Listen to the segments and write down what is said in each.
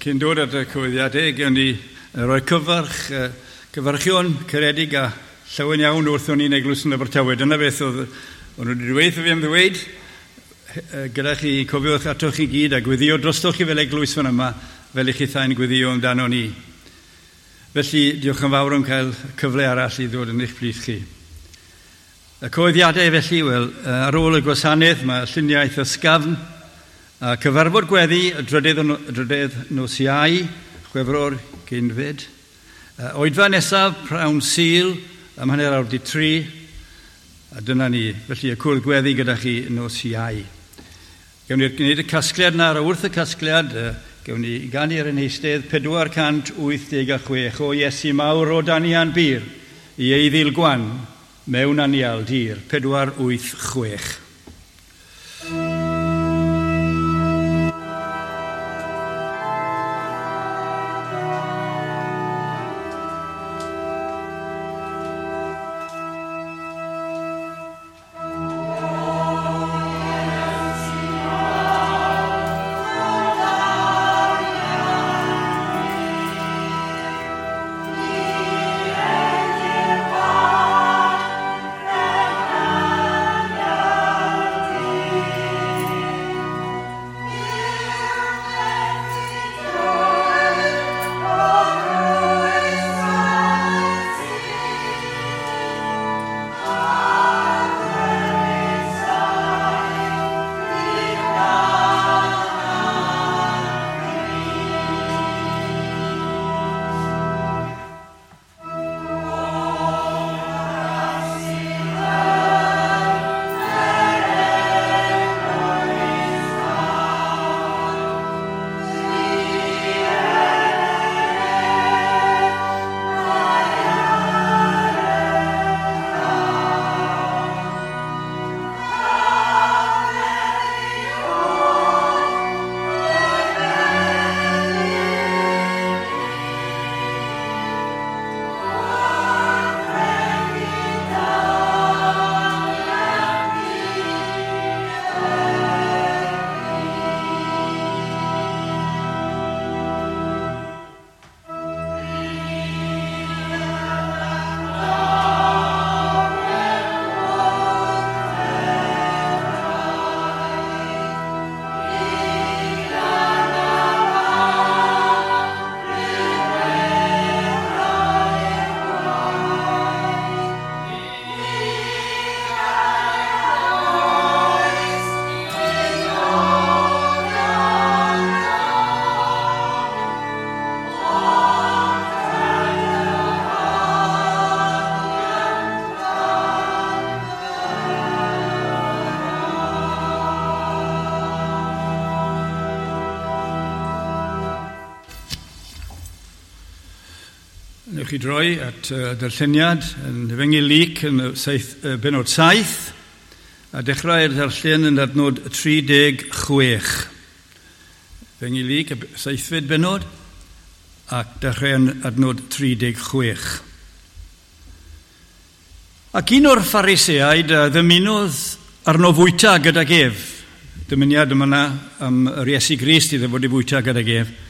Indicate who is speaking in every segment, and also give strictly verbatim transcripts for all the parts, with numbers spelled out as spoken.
Speaker 1: Cyn dod at y cyhoeddiadau, gewn ni roi cyfarch, cyfarchion caredig a llawen iawn wrthon ni'n eglwys yn Abertawe. Dyna beth oedd o'n nhw wedi dweud fi am ddweud, gyda chi, cofiwch atoch chi gyd a gweddio drostoch chi fel eglwys fan yma, fel i chi thau'n gweddio amdano ni. Felly, diolch yn fawr am cael cyfle arall i ddod yn eich plith chi. Y cyhoeddiadau felly, wel, ar ôl y gwasanaeth, mae lluniaeth ysgafn, a cyfarfod gweddi, y drydydd, drydydd nos Iau, Chwefror ugeinfed. Oedfa nesaf, prawn Sul, am hanner awr di tri, a dyna ni. Felly y cwrdd gweddi gyda chi nos Iau. Gewn ni gwneud y casgliad na, ar wrth y casgliad, gewn ni ganu ar ein heistedd pedwar cant wyth deg a chwech o Iesu mawr o Danian Bir i eiddil gwan mewn anial dir, pedwar wyth chwech. Chi droi at uh, darlleniad yn Efengyl Luc yn y saith, uh, benod saith, a dechrau'r darllen yn adnod tri deg chwech. Efengyl Luc, y seithfed benod, ac dechrau yn adnod tri deg chwech. Ac un o'r Phariseaid ddymunodd arno fwyta gydag ef. Dymuniad yma yna am yr Iesu Grist iddo fod i fwyta gydag ef.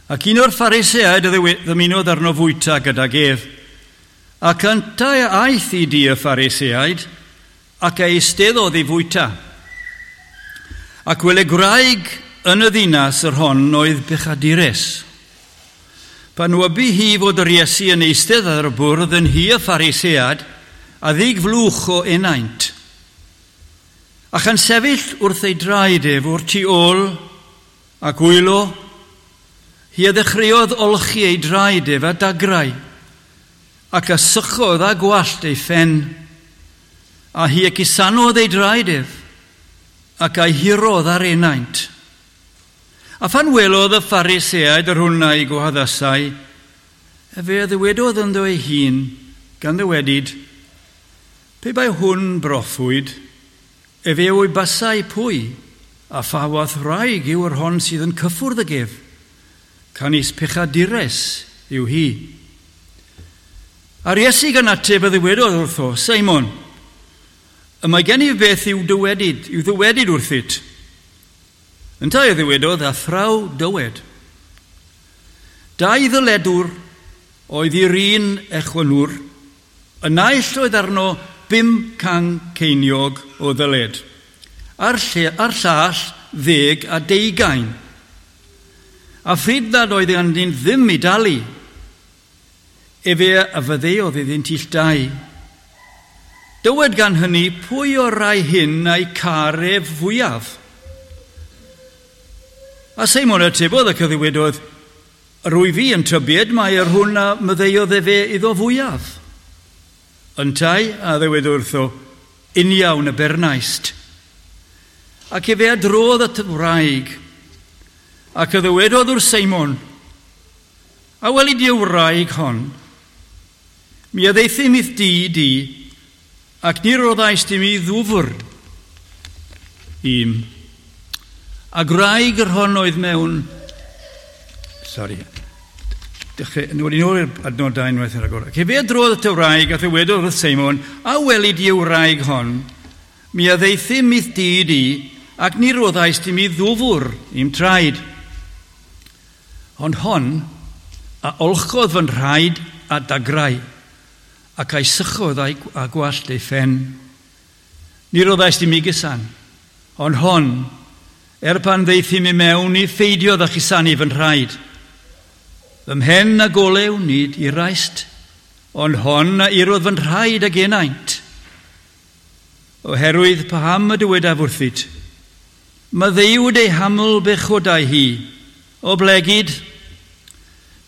Speaker 1: Ac un o'r Phariseaid ddymunodd arno fwyta gydag ef. Ac yntau aeth i di y Phariseaid, ac eisteddodd i fwyta. Ac wele gwraig yn y ddinas yr hon oedd bechadures. Pan wybu hi fod yr Iesu yn eistedd ar y bwrdd yn hi y Pharisead, a ddig flwch o enaint. A chan sefyll wrth ei draed ef o'r tu ôl ac wylo, hi a ddechreuodd olchi ei draed ef a dagrau, ac a sychodd a gwallt ei phen, a hi a cusanodd ei draed ef, ac a'i hurodd ar enaint. A phan welodd y Phariseaid yr hwn a'i gwahaddasai, efe a ddywedodd ynddo ei hun, gan ddywedyd, pe bai hwn broffwyd, efe o'i basai pwy, a pha wath wraig yw yr hon sydd yn cyffwrdd ag ef, canys pechadures yw hi. A'r Iesu gan ateb a ddywedodd wrtho, Simon, y mae gen i beth i'w dywedyd, i'w ddywedyd wrthyt. Yntau a ddywedodd, athraw dywed. Dau ddyledwr oedd i'r un echwynwr, y naill oedd arno bum can ceiniog o ddyled, a'r, lle, a'r llall ddeg a deugain. A phryd nad oedd ganddynt ddim i dalu, efe a faddeuodd iddynt ill dau. Dywed gan hynny pwy o'r rai hyn a'i car ef fwyaf. A Seimon atebodd ac a ddywedodd, rwy fi yn tybied mai yr hwn a maddeuodd efe iddo fwyaf. Yntau a ddywedodd wrtho, uniawn y bernaist. Ac efe a drodd at y wraig, ac a ddywedodd wrth Seimon, a weli di y wraig hon? Mi a ddaethum i'th dŷ di, ac ni roddaist i mi ddwfr im. A gwraig yr hon oedd mewn... Sorry. Dechrau, nôl i nôl i'r adnod dau unwaith yn rhagor. Ac efe a drodd at y wraig a ddywedodd wrth Seimon, a weli di y wraig hon? Mi a ddaethum i'th dŷ di, ac ni roddaist i mi ddwfr i'm traed. Ond hon a olchodd fy nhraed a dagrau, ac a'i sychodd a'i, a gwallt ei phen. Ni roddaist i mi gusan, ond hon, er pan ddaethum i mewn, ni pheidiodd â chusanu fy nhraed. Fy mhen ag olew nid iraist, ond hon a irodd fy nhraed ag enaint. Oherwydd paham y dywedaf wrthyt, maddeuwyd ei haml bechodau hi, oblegid,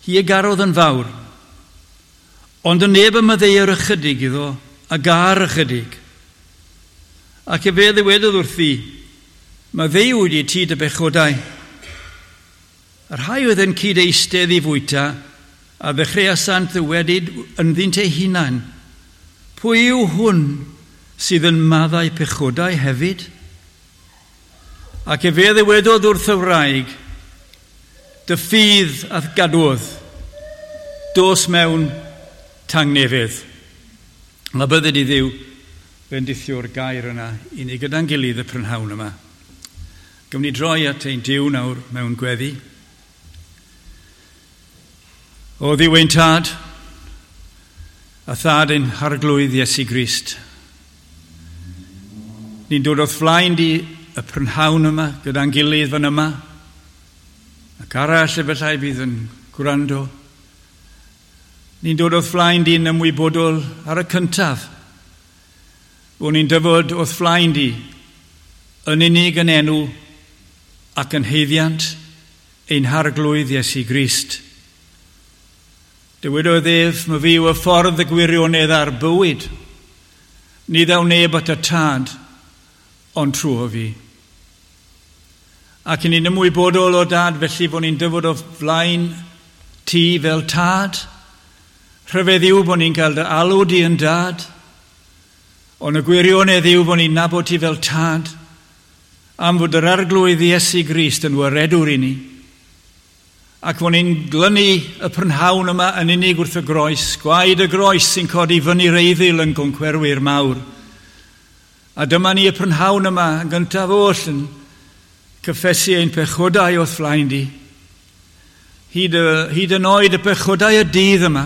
Speaker 1: hi a garodd yn fawr, ond y neb y maddeuir ychydig iddo, a gar ychydig. Ac efe ddywedodd wrthi, maddeuwyd i ti dy bechodau. Y rhai oedd yn cyd eistedd i fwyta, a ddechreuasant ddywedyd ynddynt eu hunain, pwy yw hwn sydd yn maddau pechodau hefyd? Ac efe ddywedodd wrth y wraig, dy ffydd a'th gadwodd, dos mewn tangnefedd. A bydded i Dduw bendithio'r gair yna i ni gyda'n gilydd y prynhawn yma. Gawn ni droi at ein Duw nawr mewn gweddi. O Dduw ein Tad, a Thad ein Harglwydd Iesu Grist, ni'n dod o'th flaen di y prynhawn yma gyda'n gilydd fan yma, ac arall efallai bydd yn gwrando. Ni'n dod o'th flaen di'n ymwybodol ar y cyntaf, bod ni'n dyfod o'th flaen di yn unig yn enw ac yn haeddiant ein Harglwydd Iesu Grist. Dywedodd ef, ma fi yw y ffordd y gwirionedd a'r bywyd. Ni ddaw neb at y Tad, ond trwy fi. Ac ni'n ymwybodol o Dad, felly bod ni'n dyfod o flaen ti fel Tad. Rhyfedd yw bod ni'n cael dy alw di yn Dad, ond y gwirionedd yw bod ni'n nabod ti fel Tad, am fod yr Arglwydd Iesu Grist yn waredwr i ni. Ac fod ni'n glynu y prynhawn yma yn unig wrth y groes, gwaed y groes sy'n codi fyny'r eiddil yn goncwerwyr mawr. A dyma ni y prynhawn yma yn gyntaf oll yn cyffesu ein pechodau o'th flaen di. Hyd, y, hyd yn oed y pechodau y dydd yma,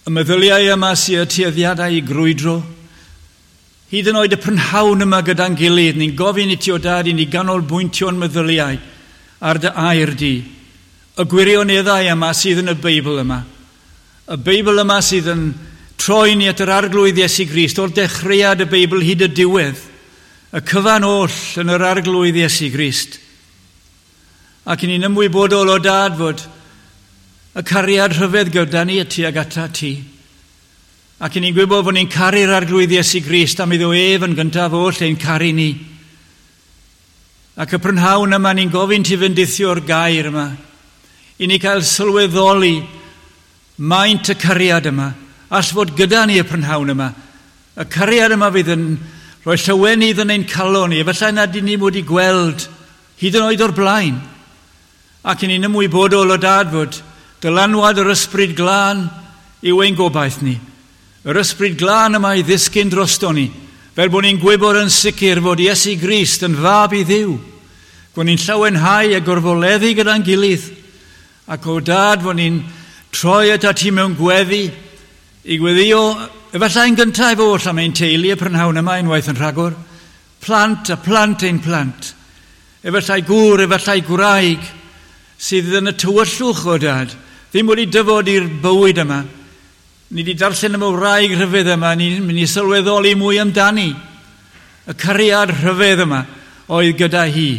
Speaker 1: y meddyliau yma sy'n y tueddiadau i grwydro, hyd yn oed y prynhawn yma gyda'n gilydd, ni'n gofyn i ti o Dad i ni ganolbwyntio'n meddyliau ar dy air di, y gwirioneddau yma sydd yn y Beibl yma. Y Beibl yma sydd yn troi ni at yr Arglwydd Iesu Grist, o'r dechreuad y Beibl hyd y diwedd, y cyfan oll yn yr Arglwydd Iesu Grist. Ac ni'n ymwybodol o Dad fod y cariad rhyfedd gyda ni tuag ata ti. Ac ni'n gwybod fod ni'n caru'r Arglwydd Iesu Grist am iddo ef yn gyntaf oll ein caru ni. Ac y prynhawn yma ni'n gofyn ti fendithio'r gair yma, i ni cael sylweddoli maint y cariad yma, all fod gyda ni y prynhawn yma. Y cariad yma fydd yn rhoi llawenydd yn ein calon ni, efallai nad ydyn ni wedi gweld hyd yn oed o'r blaen. Ac ni'n ymwybodol o Dad fod dylanwad yr Ysbryd Glân yw ein gobaith ni. Yr Ysbryd Glân yma i ddisgyn drosto ni, fel bod ni'n gwybod yn sicr fod Iesu Grist yn fab i Dduw. Bod ni'n llawenhau a gorfoleddu gyda'n gilydd, Ac o Dad fod ni'n troi at ti mewn gweddi, i gweddio, efallai yn gyntaf oll am ein teulu y prynhawn yma unwaith yn rhagor, plant a plant ein plant, efallai gŵr, efallai gwraig, sydd yn y tywyllwch o Dad, ddim wedi dyfod i'r bywyd yma. Ni wedi darllen am y wraig rhyfedd yma, ni'n mynd i sylweddoli mwy amdani. Y cariad rhyfedd yma oedd gyda hi.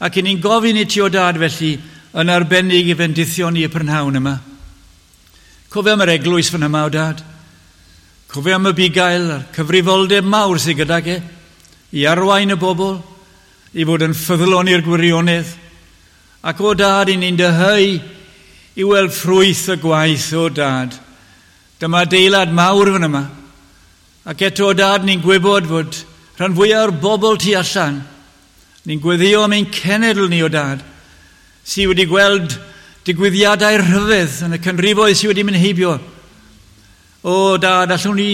Speaker 1: Ac ni'n gofyn i ti o Dad felly yn arbennig i fendithio ni y prynhawn yma. Cofio am yr eglwys fan yma o Dad. Cofio am y bugail a'r cyfrifoldeb mawr sydd gydag e, i arwain y bobl, i fod yn ffyddlon i'r gwirionedd. Ac o Dad, i ni'n dyheu i weld ffrwyth y gwaith o Dad. Dyma adeilad mawr fan yma. Ac eto o Dad, ni'n gwybod fod rhan fwyaf o'r bobl tu allan, ni'n gweddio am ein cenedl ni o Dad, sydd wedi gweld digwyddiadau rhyfedd yn y canrifoedd sydd wedi mynd heibio. O Dad, allwn ni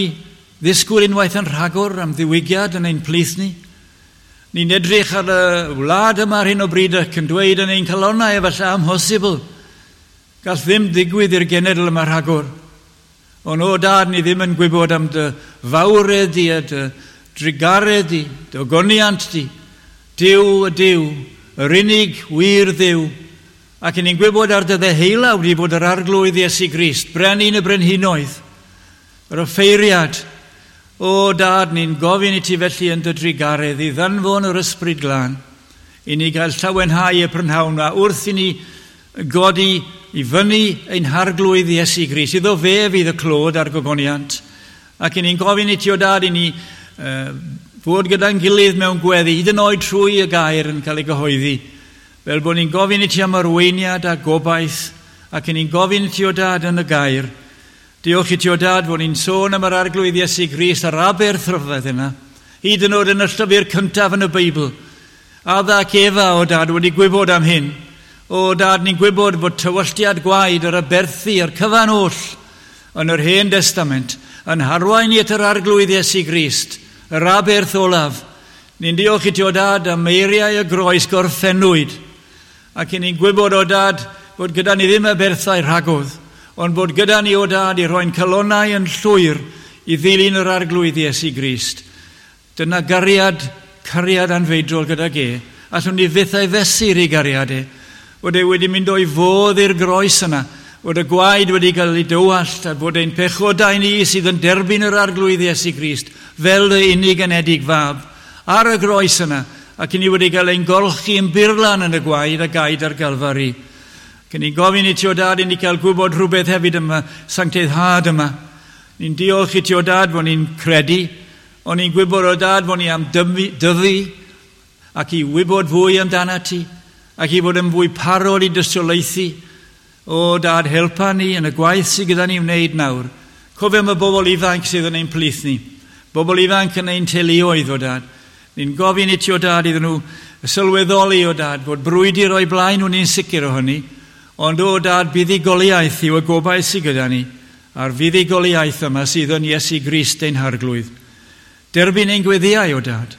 Speaker 1: ddisgwyl unwaith yn rhagor am ddiwygiad yn ein plith ni? Ni'n edrych ar y wlad yma ar hyn o bryd ac yn dweud yn ein calonnau efallai amhosibl. Gall ddim ddigwydd i'r genedl yma rhagor. Ond o Dad, ni ddim yn gwybod am dy fawredd di a dy drugaredd di, dy ogoniant di, Duw y Duw, yr unig wir Dduw. Ac ni'n gwybod ar dy ddeheulaw di bod yr Arglwydd Iesu Grist, brenin y brenhinoedd, yr offeiriad. O Dad, ni'n gofyn i ti felly yn dy drugaredd i ddanfon yr Ysbryd Glân, i ni gael llawenhau y prynhawn a wrth i ni godi i fyny ein Harglwydd Iesu Grist, iddo fe fydd y clod a'r gogoniant. Ac i ni'n gofyn i ti o Dad i ni uh, fod gyda'n gilydd mewn gweddi, hyd yn oed trwy y gair yn cael ei gyhoeddi, fel bod ni'n gofyn i ti am arweiniad a gobaith, ac i ni'n gofyn i ti o Dad yn y gair. Diolch i ti o Dad fod ni'n sôn am yr Arglwydd Iesu Grist a'r aberth rhyfedd yna, hyd yn oed yn y llyfr cyntaf yn y Beibl. Adda ac Efa o Dad wedi gwybod am hyn. O Dad, ni'n gwybod bod tywalltiad gwaed yr aberthu a'r cyfan oll yn yr Hen Destament yn harwain i at yr Arglwydd Iesu Grist, yr aberth olaf. Ni'n diolch i ti o Dad am eiriau y groes gorffennwyd. Ac ni'n gwybod o Dad bod gyda ni ddim aberthau rhagodd, ond bod gyda ni o Dad i roi'n calonnau yn llwyr i ddilyn yr Arglwydd Iesu Grist. Dyna gariad, cariad anfeidrol gydag e. Allwn ni fyth ei fesur i gariad e. Bod e wedi mynd o'i fodd i'r groes yna, bod y gwaed wedi cael ei dywallt, a bod ein pechodau ni sydd yn derbyn yr Arglwydd Iesu Grist fel y unig anedig fab ar y groes yna, ac i ni wedi cael ein golchi yn burlan yn y gwaed a gaed ar Galfari. Ac ni'n gofyn i ti o Dad i ni cael gwybod rhywbeth hefyd yma, sancteiddhad yma. Ni'n diolch i ti o Dad fod ni'n credu, ond ni'n gwybod o Dad fod ni am dyfu ac i wybod fwy amdana ti, ac i fod yn fwy parod i dystiolaethu. O Dad, helpa ni yn y gwaith sydd gyda ni wneud nawr. Cofio am y bobl ifanc sydd yn ein plith ni. Bobl ifanc yn ein teuluoedd o Dad. Ni'n gofyn i ti o Dad iddyn nhw sylweddoli o Dad fod brwydr o'i blaen nhw'n ni'n sicr o hynny. Ond o Dad, buddugoliaeth yw y gobaith sydd gyda ni, a'r fuddugoliaeth yma sydd yn Iesu Grist ein Harglwydd. Derbyn ein gweddiau o Dad.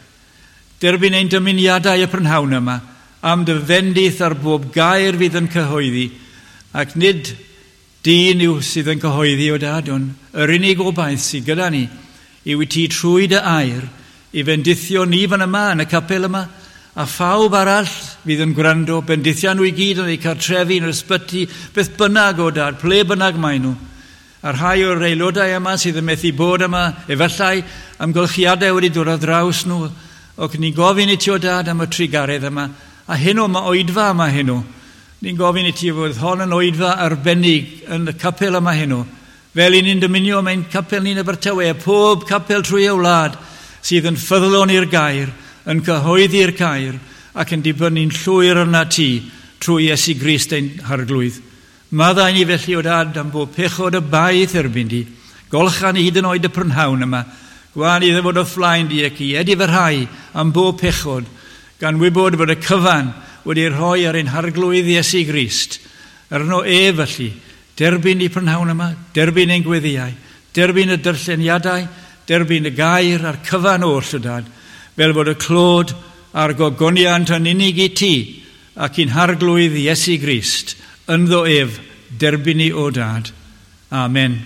Speaker 1: Derbyn ein dymuniadau y prynhawn yma am dy fendith ar bob gair fydd yn cyhoeddi, ac nid dyn yw sydd yn cyhoeddi o Dad, ond yr unig obaith sydd gyda ni yw i ti trwy dy air i fendithio ni fan yma yn y capel yma, a phawb arall fydd yn gwrando, bendithio nhw i gyd yn eu cartrefi, yn yr ysbyty, beth bynnag o Dad, ple bynnag maen nhw. A rhai o'r aelodau yma sydd yn methu bod yma, efallai amgylchiadau wedi dod ar draws nhw, ac ni'n gofyn i ti o Dad am y trugaredd yma, a heno mae oedfa yma heno. Ni'n gofyn i ti fod hon yn oedfa arbennig yn y capel yma heno. Fel i ni'n dymunio mewn capel ni'n Abertawe, a pob capel trwy y wlad sydd yn ffyddlon i'r gair, yn cyhoeddi'r gair, ac yn dibynnu'n llwyr arna ti trwy Iesu Grist ein Harglwydd. Maddau ni felly o Dad am bob pechod y baith erbyn di. Golcha ni hyd yn oed y prynhawn yma. Gwan i ddyfod o flaen di ac i edifyrhau am bob pechod, gan wybod bod y cyfan wedi rhoi ar ein Harglwydd Iesu Grist. Arno e felly, derbyn i prynhawn yma, derbyn ein gweddiau, derbyn y darlleniadau, derbyn y gair a'r cyfan oll o Dad, fel bod y clod a'r gogoniant yn unig i ti ac i'n Harglwydd Iesu Grist. ynddo ef, derbyn ni o Dad. Amen.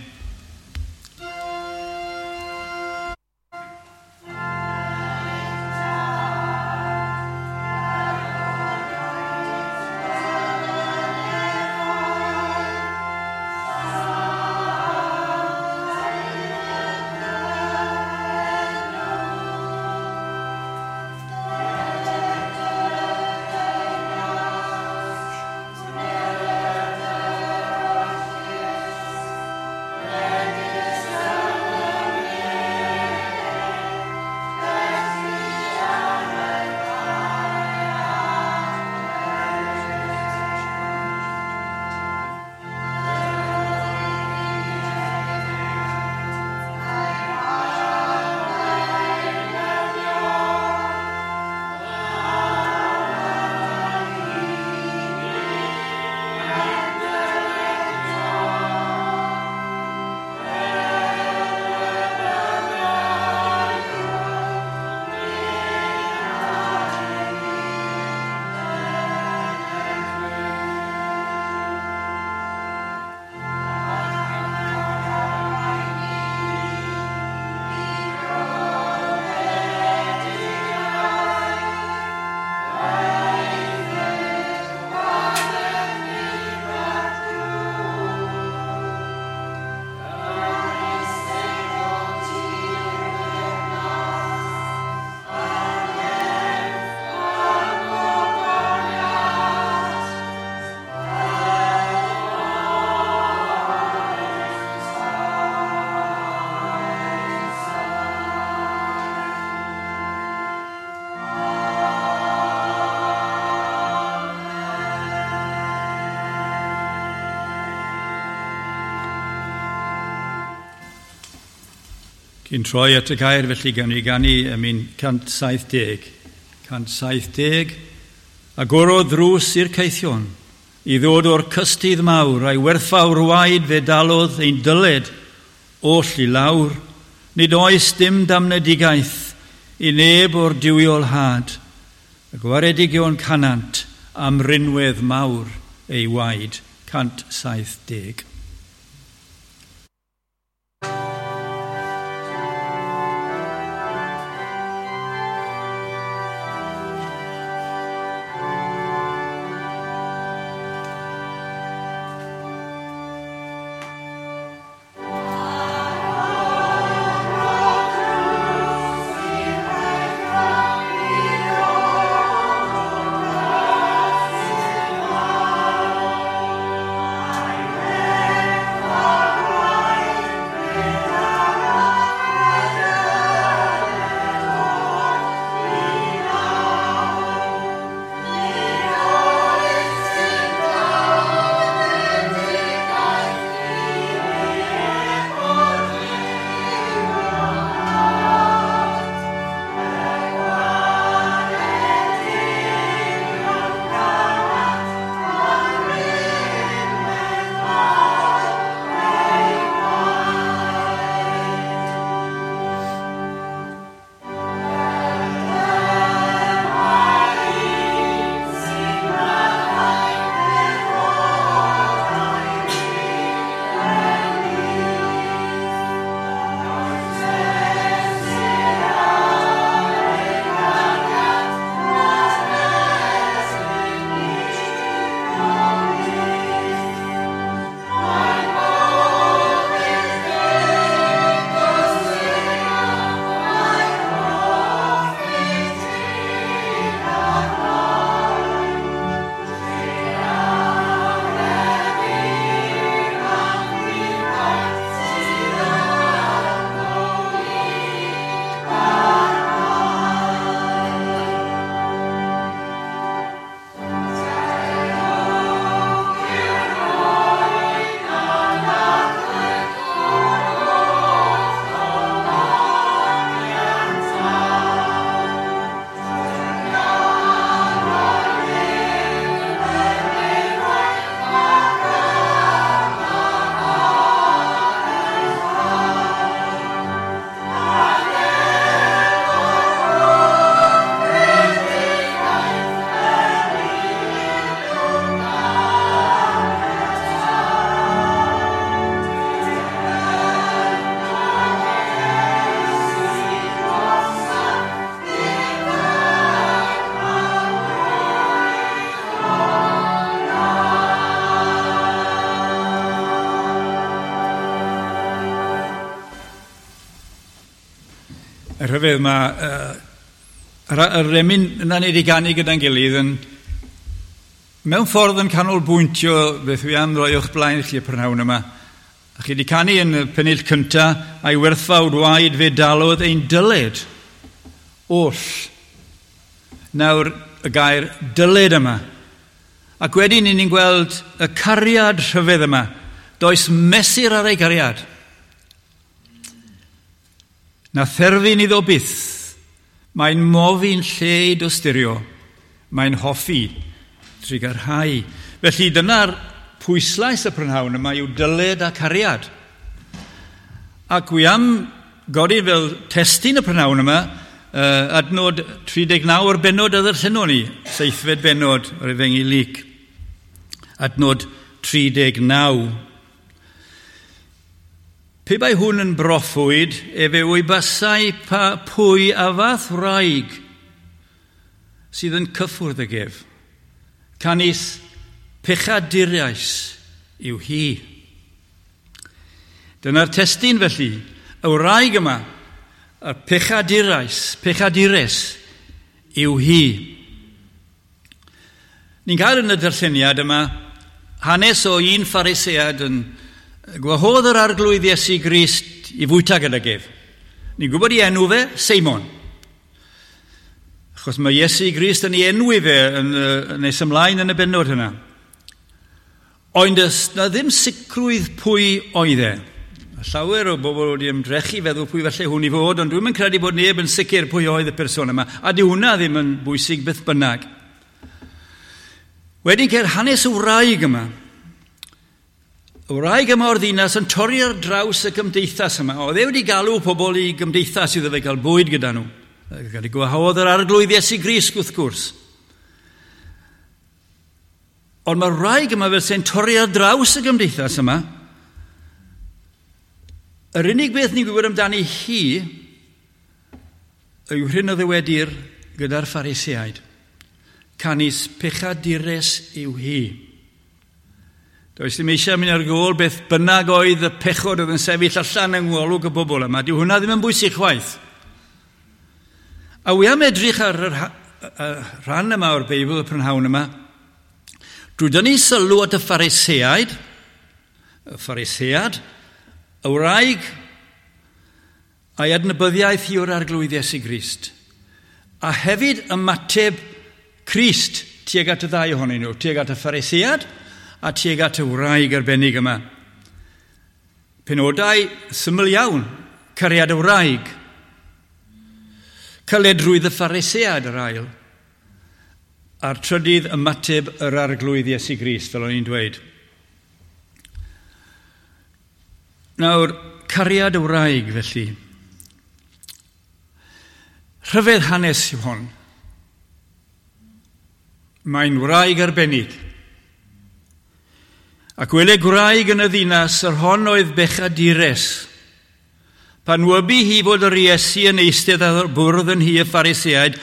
Speaker 1: Cyn troi at y gair felly gawn ni ganu emyn cant saith deg. cant saith deg. Agorodd ddrws i'r caethion, i ddod o'r cystudd mawr, a'i werthfawr waed fe dalodd ein dyled oll i lawr. Nid oes dim damnedigaeth i neb o'r duwiol had. Y gwaredigion canant am rinwedd mawr ei waed. cant saith deg.
Speaker 2: Amen.
Speaker 1: Y rhyfedd mae uh, yr, yr emyn yna ni wedi ganu gyda'n gilydd yn mewn ffordd yn canolbwyntio beth wi am roi o'ch blaen chi y prynhawn yma. A chi wedi canu yn y pennill cynta, a'i werthfawr waed fe dalodd ein dyled oll. Nawr y gair dyled yma. Ac wedyn ni'n gweld y cariad rhyfedd yma. Does mesur ar ei gariad. Na therfyn iddo byth. Mae'n mofi'n lle i dosturio. Mae'n hoffi trugarhau. Felly dyna'r pwyslais y prynhawn yma yw dyled a cariad. Ac wi am godi fel testun y prynhawn yma, uh, adnod tri deg naw o'r bennod a ddarllenon ni, seithfed bennod o'r Efengyl Luc. Adnod tri deg naw. Pe bai hwn yn broffwyd, efe wybasai pa pwy a fath wraig sydd yn cyffwrdd ag ef. Canys pechaduriais yw hi. Dyna'r testun felly, y wraig yma, y pechaduriais, pechadures yw hi. Ni'n cael yn y darlleniad yma hanes o un Pharisead yn gwahodd yr Arglwydd Iesu Grist i fwyta gydag ef. Ni'n gwybod ei enw fe, Seimon. Achos mae Iesu Grist yn ei enwi fe yn, yn nes ymlaen yn y bennod hynna. Ond does na ddim sicrwydd pwy oedd e. Llawer o bobl wedi ymdrechu feddwl pwy falle hwn i fod, ond dwi'm yn credu bod neb yn sicr pwy oedd y person yma, a di hwnna ddim yn bwysig beth bynnag. Wedyn ceir hanes y wraig yma. Y wraig yma o'r ddinas yn torri ar draws y gymdeithas yma. Oedd e wedi galw pobl i gymdeithas iddo fe gael bwyd gyda nhw. Gael ei gwahodd yr Arglwydd Iesu Grist wrth gwrs. Ond mae'r wraig yma fel sy'n torri ar draws y gymdeithas yma. Yr unig beth ni'n gwybod amdani hi yw hyn o ddywedir gyda'r Phariseaid. Canys pechadures yw hi. Does ddim eisiau mynd ar gôl beth bynnag oedd y pechod oedd yn sefyll allan yng ngolwg y bobl yma. Dyw hwnna ddim yn bwysig chwaith. A wi am edrych ar y rhan yma o'r Beibl y prynhawn yma, drwy dynnu sylw at y Phariseaid, y Pharisead, y wraig a'i adnabyddiaeth hi o'r Arglwydd Iesu Grist, a hefyd ymateb Crist tuag at y ddau ohonyn nhw, tuag at y Pharisead a tuag at y wraig arbennig yma. Penodau syml iawn, cariad y wraig, caledrwydd y Pharisead yr ail, a'r trydydd ymateb yr Arglwydd Iesu Grist, fel o'n i'n dweud. Nawr, cariad y wraig, felly. Rhyfedd hanes yw hon. Mae'n wraig arbennig. Ac wele gwraig yn y ddinas, yr hon oedd bechadures. Pan wybu hi fod yr Iesu yn eistedd ar bwrdd yn hi y Phariseaid,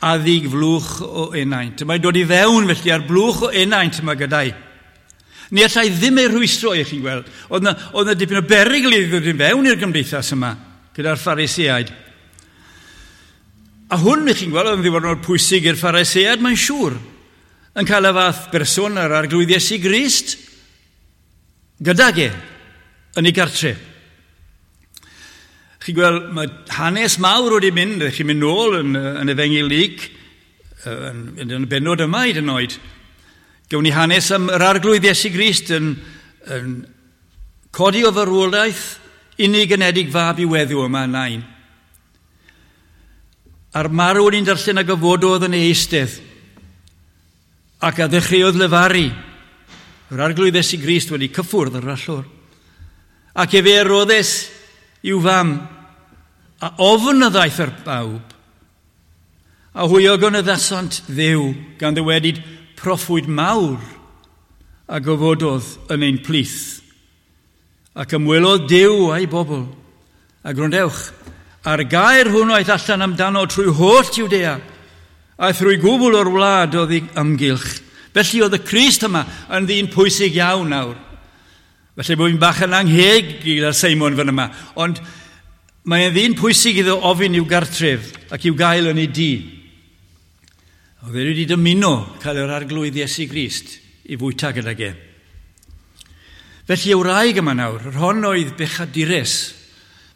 Speaker 1: a ddig flwch o enaint. Mae'n dod i fewn felly ar blwch o enaint yma gyda'i. Ni allai ddim ei rhwystro, i chi'n gweld. Oedd na, oedd na dipyn o berygl i ddod i fewn i'r gymdeithas yma gyda'r Phariseaid. A hwn, i chi'n gweld, oedd yn ddiwrnod pwysig i'r Phariseaid, mae'n siŵr, yn cael y fath berson ar Arglwydd Iesu Grist gydag e yn ei gartre. Chi'n gweld, mae hanes mawr wedi mynd, chi'n mynd nôl yn, yn Efengyl Luc, yn, yn, yn y bennod yma hyd yn oed. Gewn ni hanes am yr Arglwydd Iesu Grist yn, yn codi o farwolaeth unig anedig fab i weddw yma yn Nain. A'r marw ni'n darllen ag ofododd yn ei eistedd ac a ddechreuodd lefaru. Yr Arglwydd Iesu Grist wedi cyffwrdd yr allor. Ac efe roddes i'w fam, a ofn a ddaeth ar bawb, a hwy o gynyddasant Dduw gan ddywedyd proffwyd mawr a gofododd yn ein plith. Ac ymwelodd Duw a'i bobl. A gwrandewch, a'r gair hwnnw aeth allan amdano trwy holl Jwdea, a thrwy gwbl o'r wlad oedd ei ymgylch. Felly oedd y Crist yma yn ddyn pwysig iawn nawr. Felly bod fi'n bach yn angheg gyda'r Seimon fan yma. Ond Mae'n ddyn pwysig iddo ofyn i'w gartref ac i'w gael yn ei dŷ. Oedd e wedi dymuno cael yr Arglwydd Iesu Grist i fwyta gydag e. Felly y wraig yma nawr, yr hon oedd bechadures.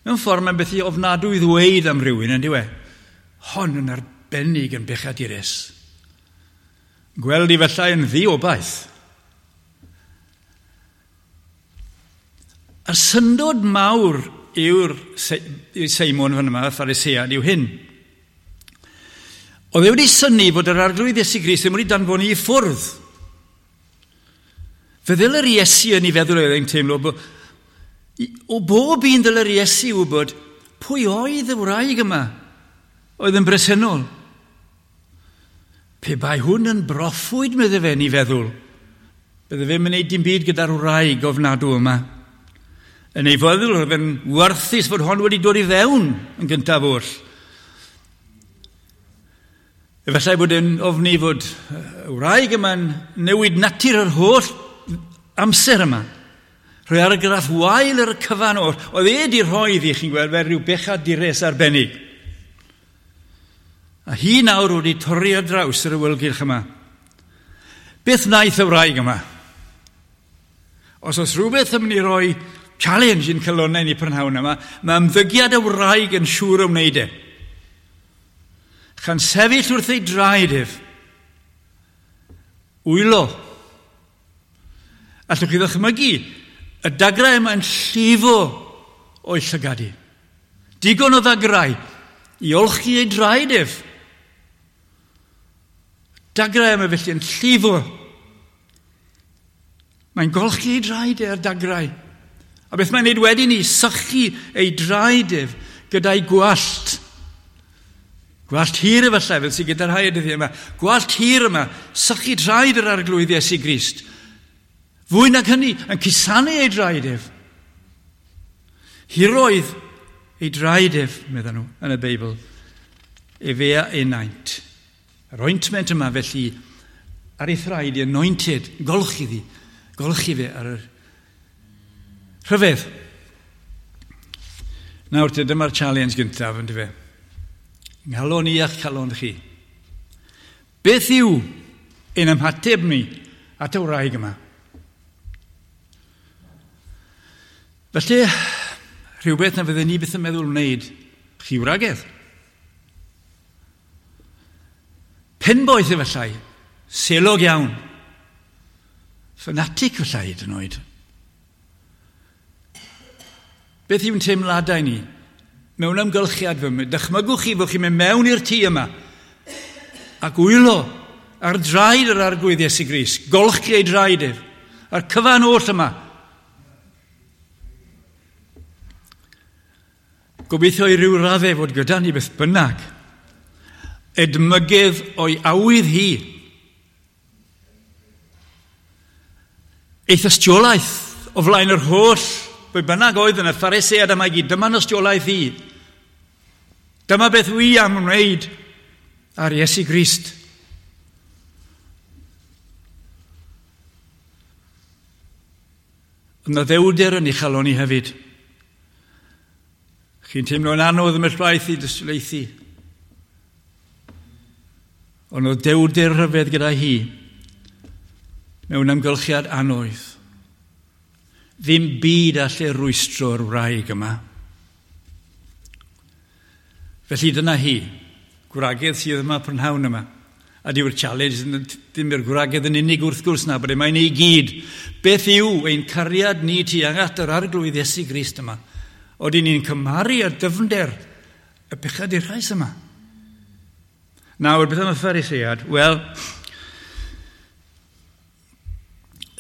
Speaker 1: Mewn ffordd mae'n beth i ofnadwy i ddweud am rywun, yn dyw e? Hon yn arbennig yn bechadures. Gweld i felly yn ddiobaith. A'r syndod mawr yw'r Seimon fan yma, y Pharisead, yw hyn. Oedd e wedi synnu fod yr Arglwydd Iesu Grist ddim wedi danfon i ffwrdd. Fe ddyl yr Iesu yn ei feddwl oedd e'n teimlo, bo, o bob un ddyl yr Iesu wybod pwy oedd y wraig yma oedd yn bresennol. Pe bai hwn yn broffwyd, medde fe yn ei feddwl, bydde fe'n mynd dim byd gyda'r wraig ofnadw yma. Yn ei feddwl, oedd e'n werthus fod hon wedi dod i fewn yn gyntaf oll. Efallai bod e'n ofni fod y wraig yma'n newid natur yr holl amser yma. Rhoi argraff wael ar y cyfan oll. Oedd e wedi rhoi iddi, chi'n gweld, fel rhyw bechadures arbennig. A hi nawr wedi torri ar draws yr awyrgylch yma. Beth wnaeth y wraig yma? Os oes rhywbeth yn mynd i roi challenge i'n calonnau ni prynhawn yma, mae ymddygiad y wraig yn siŵr o wneud e. Chan sefyll wrth ei draed ef. Wylo. Allwch chi ddychmygu, y dagrau yma'n llifo o'i llygad hi. Digon o ddagrau i olchi ei draed ef. Dagrau yma felly yn llifo. Mae'n golchi ei draed e ar dagrau. A beth mae'n neud wedyn i sychu ei draed ef gyda'i gwallt. Gwallt hir efallai, fel sydd gyda'r rhai y dyddiau yma. Gwallt hir yma, sychu traed yr Arglwydd Iesu Grist. Fwy nag hynny, yn cusanu ei draed ef. Hiroedd ei draed ef, medden nhw, yn y Beibl. Efe a enaint. Yr ointment yma felly ar ei thraed i anointed, golchi ddi, golchi fe ar yr rhyfedd. Nawr te, dyma'r challenge gyntaf, yn dyfe. Nghalon i a'ch calon chi. Beth yw ein ymateb ni at y wraig yma? Felly, rhywbeth na fydden ni byth yn meddwl wneud, chi wragedd. Penboeth efallai, selog iawn, ffanatic efallai hyd yn oed. Beth yw'n teimladau ni? Mewn amgylchiad fy, dychmygwch chi fod chi'n mynd mewn i'r tŷ yma ac wylo ar draed yr Arglwydd Iesu Grist, golchi ei draed ef, a'r cyfan oll yma. Gobeithio i ryw raddau fod gyda ni beth bynnag. Edmygedd o'i awydd hi. Ei thystiolaeth o flaen yr holl bwy bynnag oedd yn y Pharisead yma i gyd, dyma'n ystiolaeth hi. Dyma beth wi am wneud ar Iesu Grist. Yna ddewder yn ei chalon i hefyd. Chi'n teimlo'n anodd ym llwaith i dystiolaethu. Ond oedd dewder rhyfedd gyda hi mewn amgylchiad anodd. Ddim byd all rwystro'r wraig yma. Felly dyna hi, gwragedd sydd yma prynhawn yma. A dyw'r challenge ddim i'r gwragedd yn unig wrth gwrs na, bod e mae'n ei gyd. Beth yw ein cariad ni tuag at yr Arglwydd Iesu Grist yma? Odyn ni'n cymharu ar dyfnder y bechadurau yma? Nawr, beth am y Pharisead? Wel,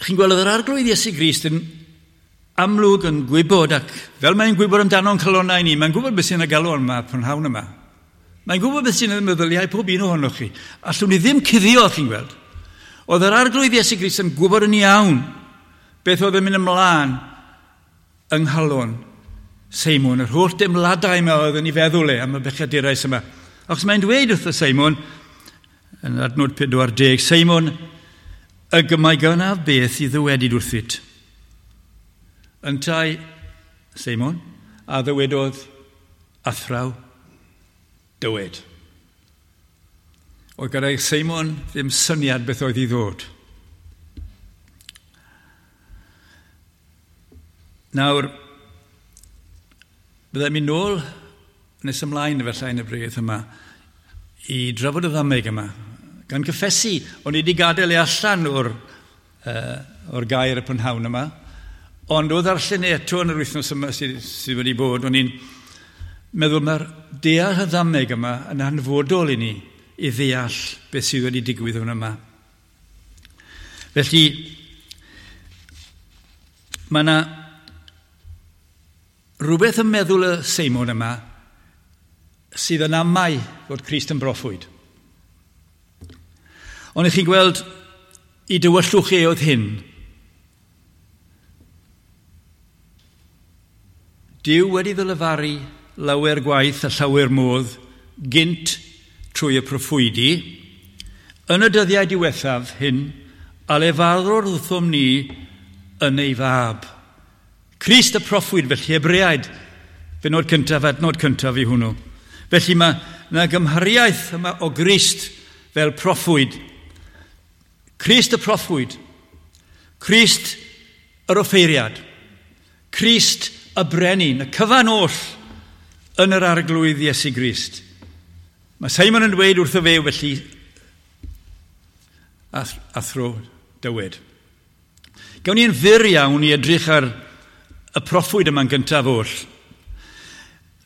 Speaker 1: chi'n gweld oedd yr Arglwydd Iesu Grist yn amlwg yn gwybod, ac fel mae'n gwybod amdano'n calonnau ni, mae'n gwybod beth sy'n y galon yma, prynhawn yma. Mae'n gwybod beth sy'n y meddyliau pob un ohonoch chi. Allwn ni ddim cuddio, chi'n gweld. Oedd yr Arglwydd Iesu Grist yn gwybod yn iawn beth oedd yn mynd ymlaen yng nghalon Seimon, yr holl deimladau yma oedd yn ei feddwl e am y bechadurau yma. Achos mae'n dweud wrth y Seimon, yn adnod pedwar deg, Seimon, y gymau gynaf beth i ddywedyd wrthyt. Yntau Seimon, a ddywedodd, Athraw, dywed. Oedd gyda Seimon ddim syniad beth oedd i ddod. Nawr, byddai'n mynd nôl nes ymlaen efallai yn y bregeth yma i drafod y ddameg yma. Gan gyffesu, o'n i wedi gadael ei allan o'r, uh, o'r gair y prynhawn yma, ond o ddarllen e eto yn yr wythnos yma sydd, sydd wedi bod, o'n i'n meddwl mae'r deall y ddameg yma yn hanfodol i ni i ddeall beth sydd wedi digwydd yn yma. Felly, mae yna rhywbeth yn meddwl y Seimon yma sydd yn amau fod Crist yn broffwyd. Ond ych chi'n gweld i dywyllwch e oedd hyn. Duw wedi ddylefaru lawer gwaith a llawer modd gynt trwy y proffwydi. Yn y dyddiau diwethaf hyn, a lefarodd wrthom ni yn ei fab. Crist y proffwyd, felly Hebreaid, benod cyntaf, adnod cyntaf i hwnnw. Felly mae yna gymhariaeth yma o Grist fel proffwyd. Crist y proffwyd, Crist yr offeiriad, Crist y brenin, y cyfan oll yn yr arglwydd Iesu Grist. Mae Simon yn dweud wrtho fe felly, athro, dywed. Gawn ni'n fyr iawn i edrych ar y proffwyd yma'n gyntaf oll.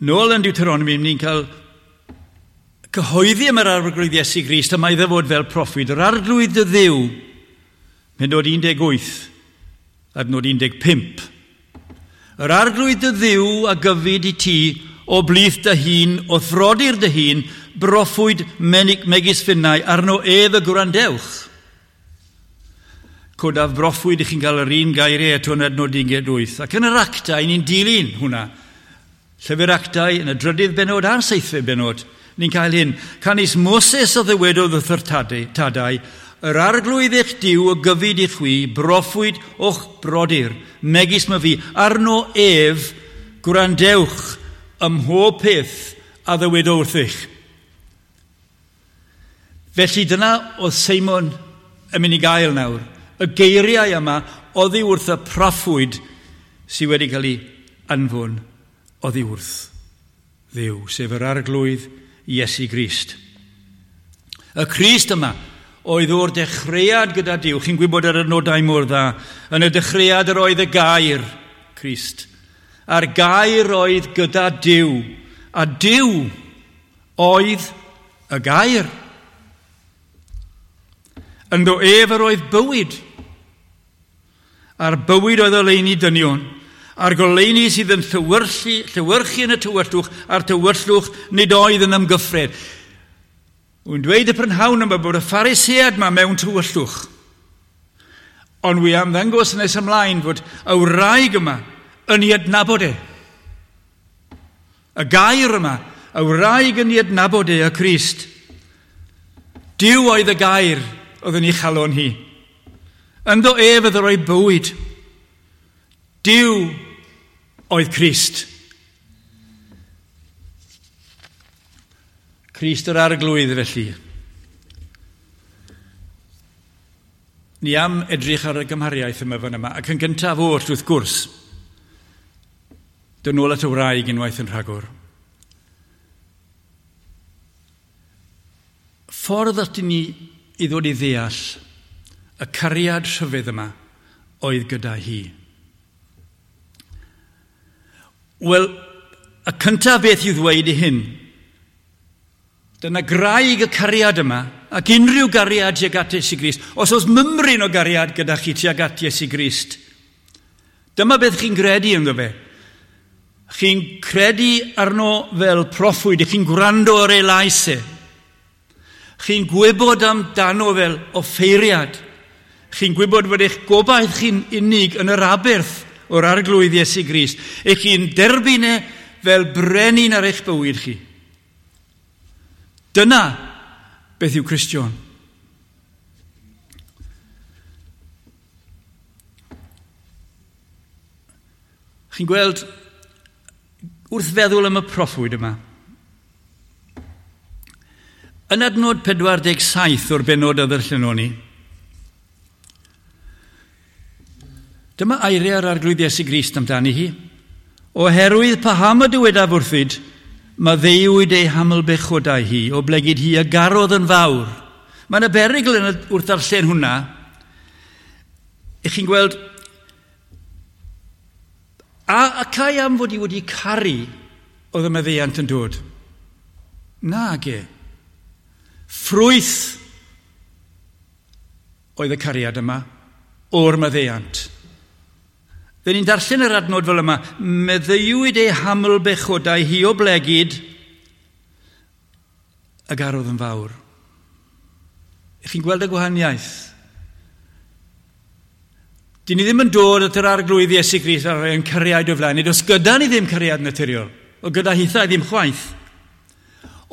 Speaker 1: Nôl yn Deuteronomy, ni'n cael cyhoeddi am yr arglwydd Iesu Grist, a mae iddo fod fel proffwyd. Yr arglwydd dy Dduw, pennod un deg wyth, adnod un deg pump. Yr arglwydd dy Dduw a gyfyd i ti o blith dy hun, o throdir dy hun, broffwyd menig megis finnau, arno ef y gwrandewch. Codaf broffwyd i chi'n cael yr un gairiau eto yn adnod un deg wyth. Ac yn yr actau, ni'n dilyn hwnna. Llyfr Actau yn y drydydd benod a'r seithfed benod, ni'n cael hyn. Canys Moses a ddywedodd wrth yr tadau, yr arglwydd eich Duw o gyfyd i chwi, broffwyd o'ch brodyr, megis ma fi, arno ef gwrandewch ym mhob peth a ddywedodd wrthych. Felly dyna oedd Seimon yn mynd i gael nawr. Y geiriau yma oddi wrth y proffwyd sydd wedi cael ei anfon oddi wrth Dduw, sef yr arglwydd Iesu Grist. Y Crist yma oedd o'r dechreuad gyda Duw. Chi'n gwybod yr adnodau mor dda. Yn y dechreuad yr oedd y gair, Crist. A'r gair oedd gyda Duw. A Duw oedd y gair. Ynddo ef yr oedd bywyd. A'r bywyd oedd oleuni dynion. A'r goleuni sydd yn llewyrchu, llewyrchu yn y tywyllwch, a'r tywyllwch nid oedd yn ymgyffred. Wy'n dweud y prynhawn yma bod y Pharisead yma mewn tywyllwch. Ond wi am ddangos nes ymlaen fod y wraig yma yn ei adnabod e. Y gair yma, y wraig yn ei adnabod e, y Crist. Duw oedd y gair oedd yn ei chalon hi. Ynddo ef oedd roi bywyd. Duw oedd Crist. Crist yr arglwydd felly. Ni am edrych ar y gymhariaeth yma fan yma, ac yn gyntaf oll wrth gwrs, dod nôl at y wraig unwaith yn rhagor. Ffordd at ni i ddod i ddeall y cariad rhyfedd yma oedd gyda hi. Wel, y cyntaf beth i'w ddweud i hyn, dyna graig y cariad yma, ac unrhyw gariad tuag at Iesu Grist. Os oes mymryn o gariad gyda chi tuag at Iesu Grist, dyma beth chi'n credu ynddo fe. Chi'n credu arno fel proffwyd, chi'n gwrando ar ei lais e. Chi'n gwybod amdano fel offeiriad. Chi'n gwybod fod eich gobaith chi'n unig yn yr aberth o'r arglwydd Iesu Grist. Eich chi'n derbyn e fel brenin ar eich bywyd chi. Dyna beth yw Cristion. Chi'n gweld, Wrth feddwl am y proffwyd yma, yn adnod pedwar deg saith o'r bennod a ddarllenon ni, dyma eiriau'r Arglwydd Iesu Grist amdani hi. Oherwydd paham y dywedaf wrthyd, maddeuwyd ei haml bechodau hi, oblegid hi a garodd yn fawr. Mae yna berygl yn wrth darllen hwnna. Ych chi'n gweld, a, a cai am fod hi wedi caru oedd y maddeuant yn dod? Nage. Ffrwyth oedd y cariad yma o'r maddeuant. Fe ni'n darllen yr adnod fel yma, meddeuwyd ei haml bechodau hi oblegid y garodd yn fawr. Ych chi'n gweld y gwahaniaeth? Dyn ni ddim yn dod at yr Arglwydd Iesu Grist ar ein cariad o flaen. Nid oes gyda ni ddim cariad naturiol, o gyda hithau ddim chwaith.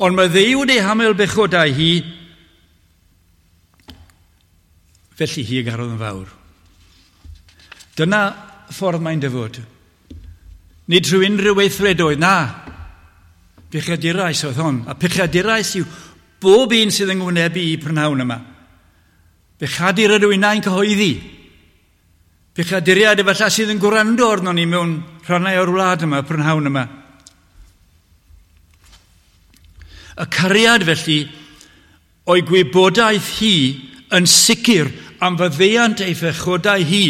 Speaker 1: Ond maddeuwyd ei haml bechodau hi, felly hi y garodd yn fawr. Dyna ffordd mae'n dyfod. Nid trwy unrhyw weithredoedd, na. Pechaduraeth oedd hon. A pechaduraeth yw bob un sydd yn ngwynebu i prynhawn yma. Pechadur ydw innau'n cyhoeddi. Pechaduriaid efallai sydd yn gwrando arnon ni mewn rhannau o'r wlad yma, prynhawn yma. Y cariad felly o'i gwybodaeth hi yn sicr am faddeuant ei phechodau hi.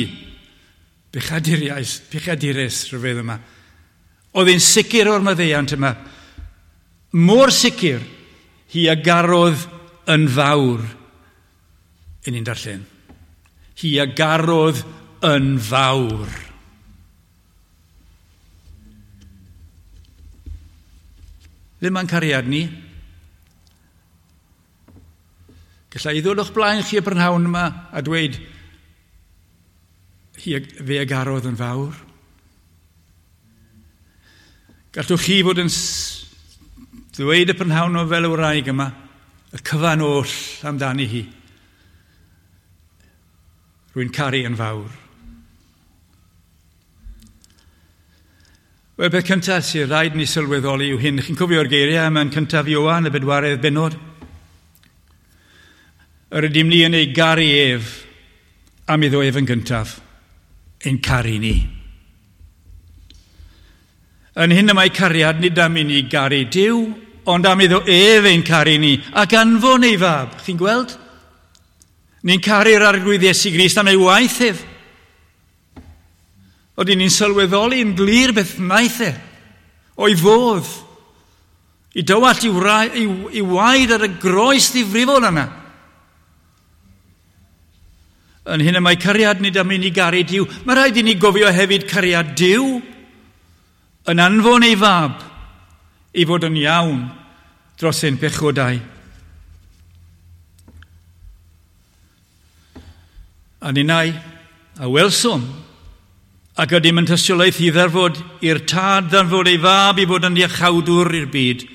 Speaker 1: Pechaduriaeth, pechadures rhyfedd yma. Oedd hi'n sicr o'r maddeuant yma. Mor sicr hi a garodd yn fawr. Yn ni'n darllen. Hi a garodd yn fawr. Ddim mae'n cariad ni. Galla i ddod o'ch blaen chi y prynhawn yma a dweud hi fe a garodd yn fawr. Gallwch chi fod yn ddweud y prynhawn o fel y wraig yma, y cyfan oll amdani hi. Rwy'n caru yn fawr. Wel, beth cyntaf sydd rhaid ni sylweddoli yw hyn. Chi'n cofio'r geiriau yma yn cyntaf Ioan, y bedwaredd bennod? Yr ydym ni yn ei garu ef am iddo ef yn gyntaf, ein caru ni. Yn hyn y mae cariad nid am i ni garu Duw, ond am iddo ef ein caru ni, ac anfon ei fab. Chi'n gweld? Ni'n caru'r Arglwydd Iesu Grist am ei waith ef. Oedden ni'n sylweddoli yn glir beth wnaeth e, o'i fodd, i dywallt i, i, i waed ar y groes ddifrifol yna. Yn hyn y mae cariad nid am i ni garu Duw. Mae rhaid i ni gofio hefyd cariad Duw yn anfon ei fab i fod yn iawn dros ein pechodau. A ninnau a welsom ac ydym yn tystiolaeth i ddarfod i'r tad ddarfod ei fab i fod yn iachawdwr i'r byd.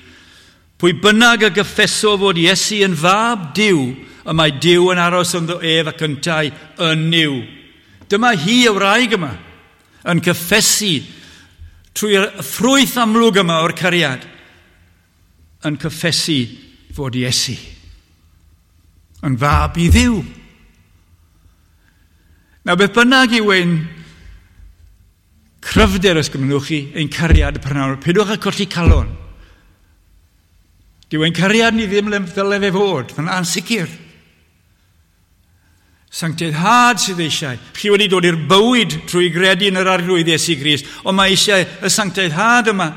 Speaker 1: Pwy bynnag a gyffeso fod Iesu yn fab Duw, y mae Duw yn aros ynddo ef ac yntau yn Nuw. Dyma hi y wraig yma yn cyffesu trwy'r ffrwyth amlwg yma o'r cariad, yn cyffesu fod Iesu yn fab i Dduw. Nawr, beth bynnag yw ein cryfder, os gymrwch chi, ein cariad y prynhawn, peidiwch â colli calon. Dyw ein cariad ni ddim ddyle fe fod, mae'n ansicr. Sancteiddhad sydd eisiau. Chi wedi dod i'r bywyd trwy gredu yn yr Arglwydd Iesu Grist, ond mae eisiau y sancteiddhad yma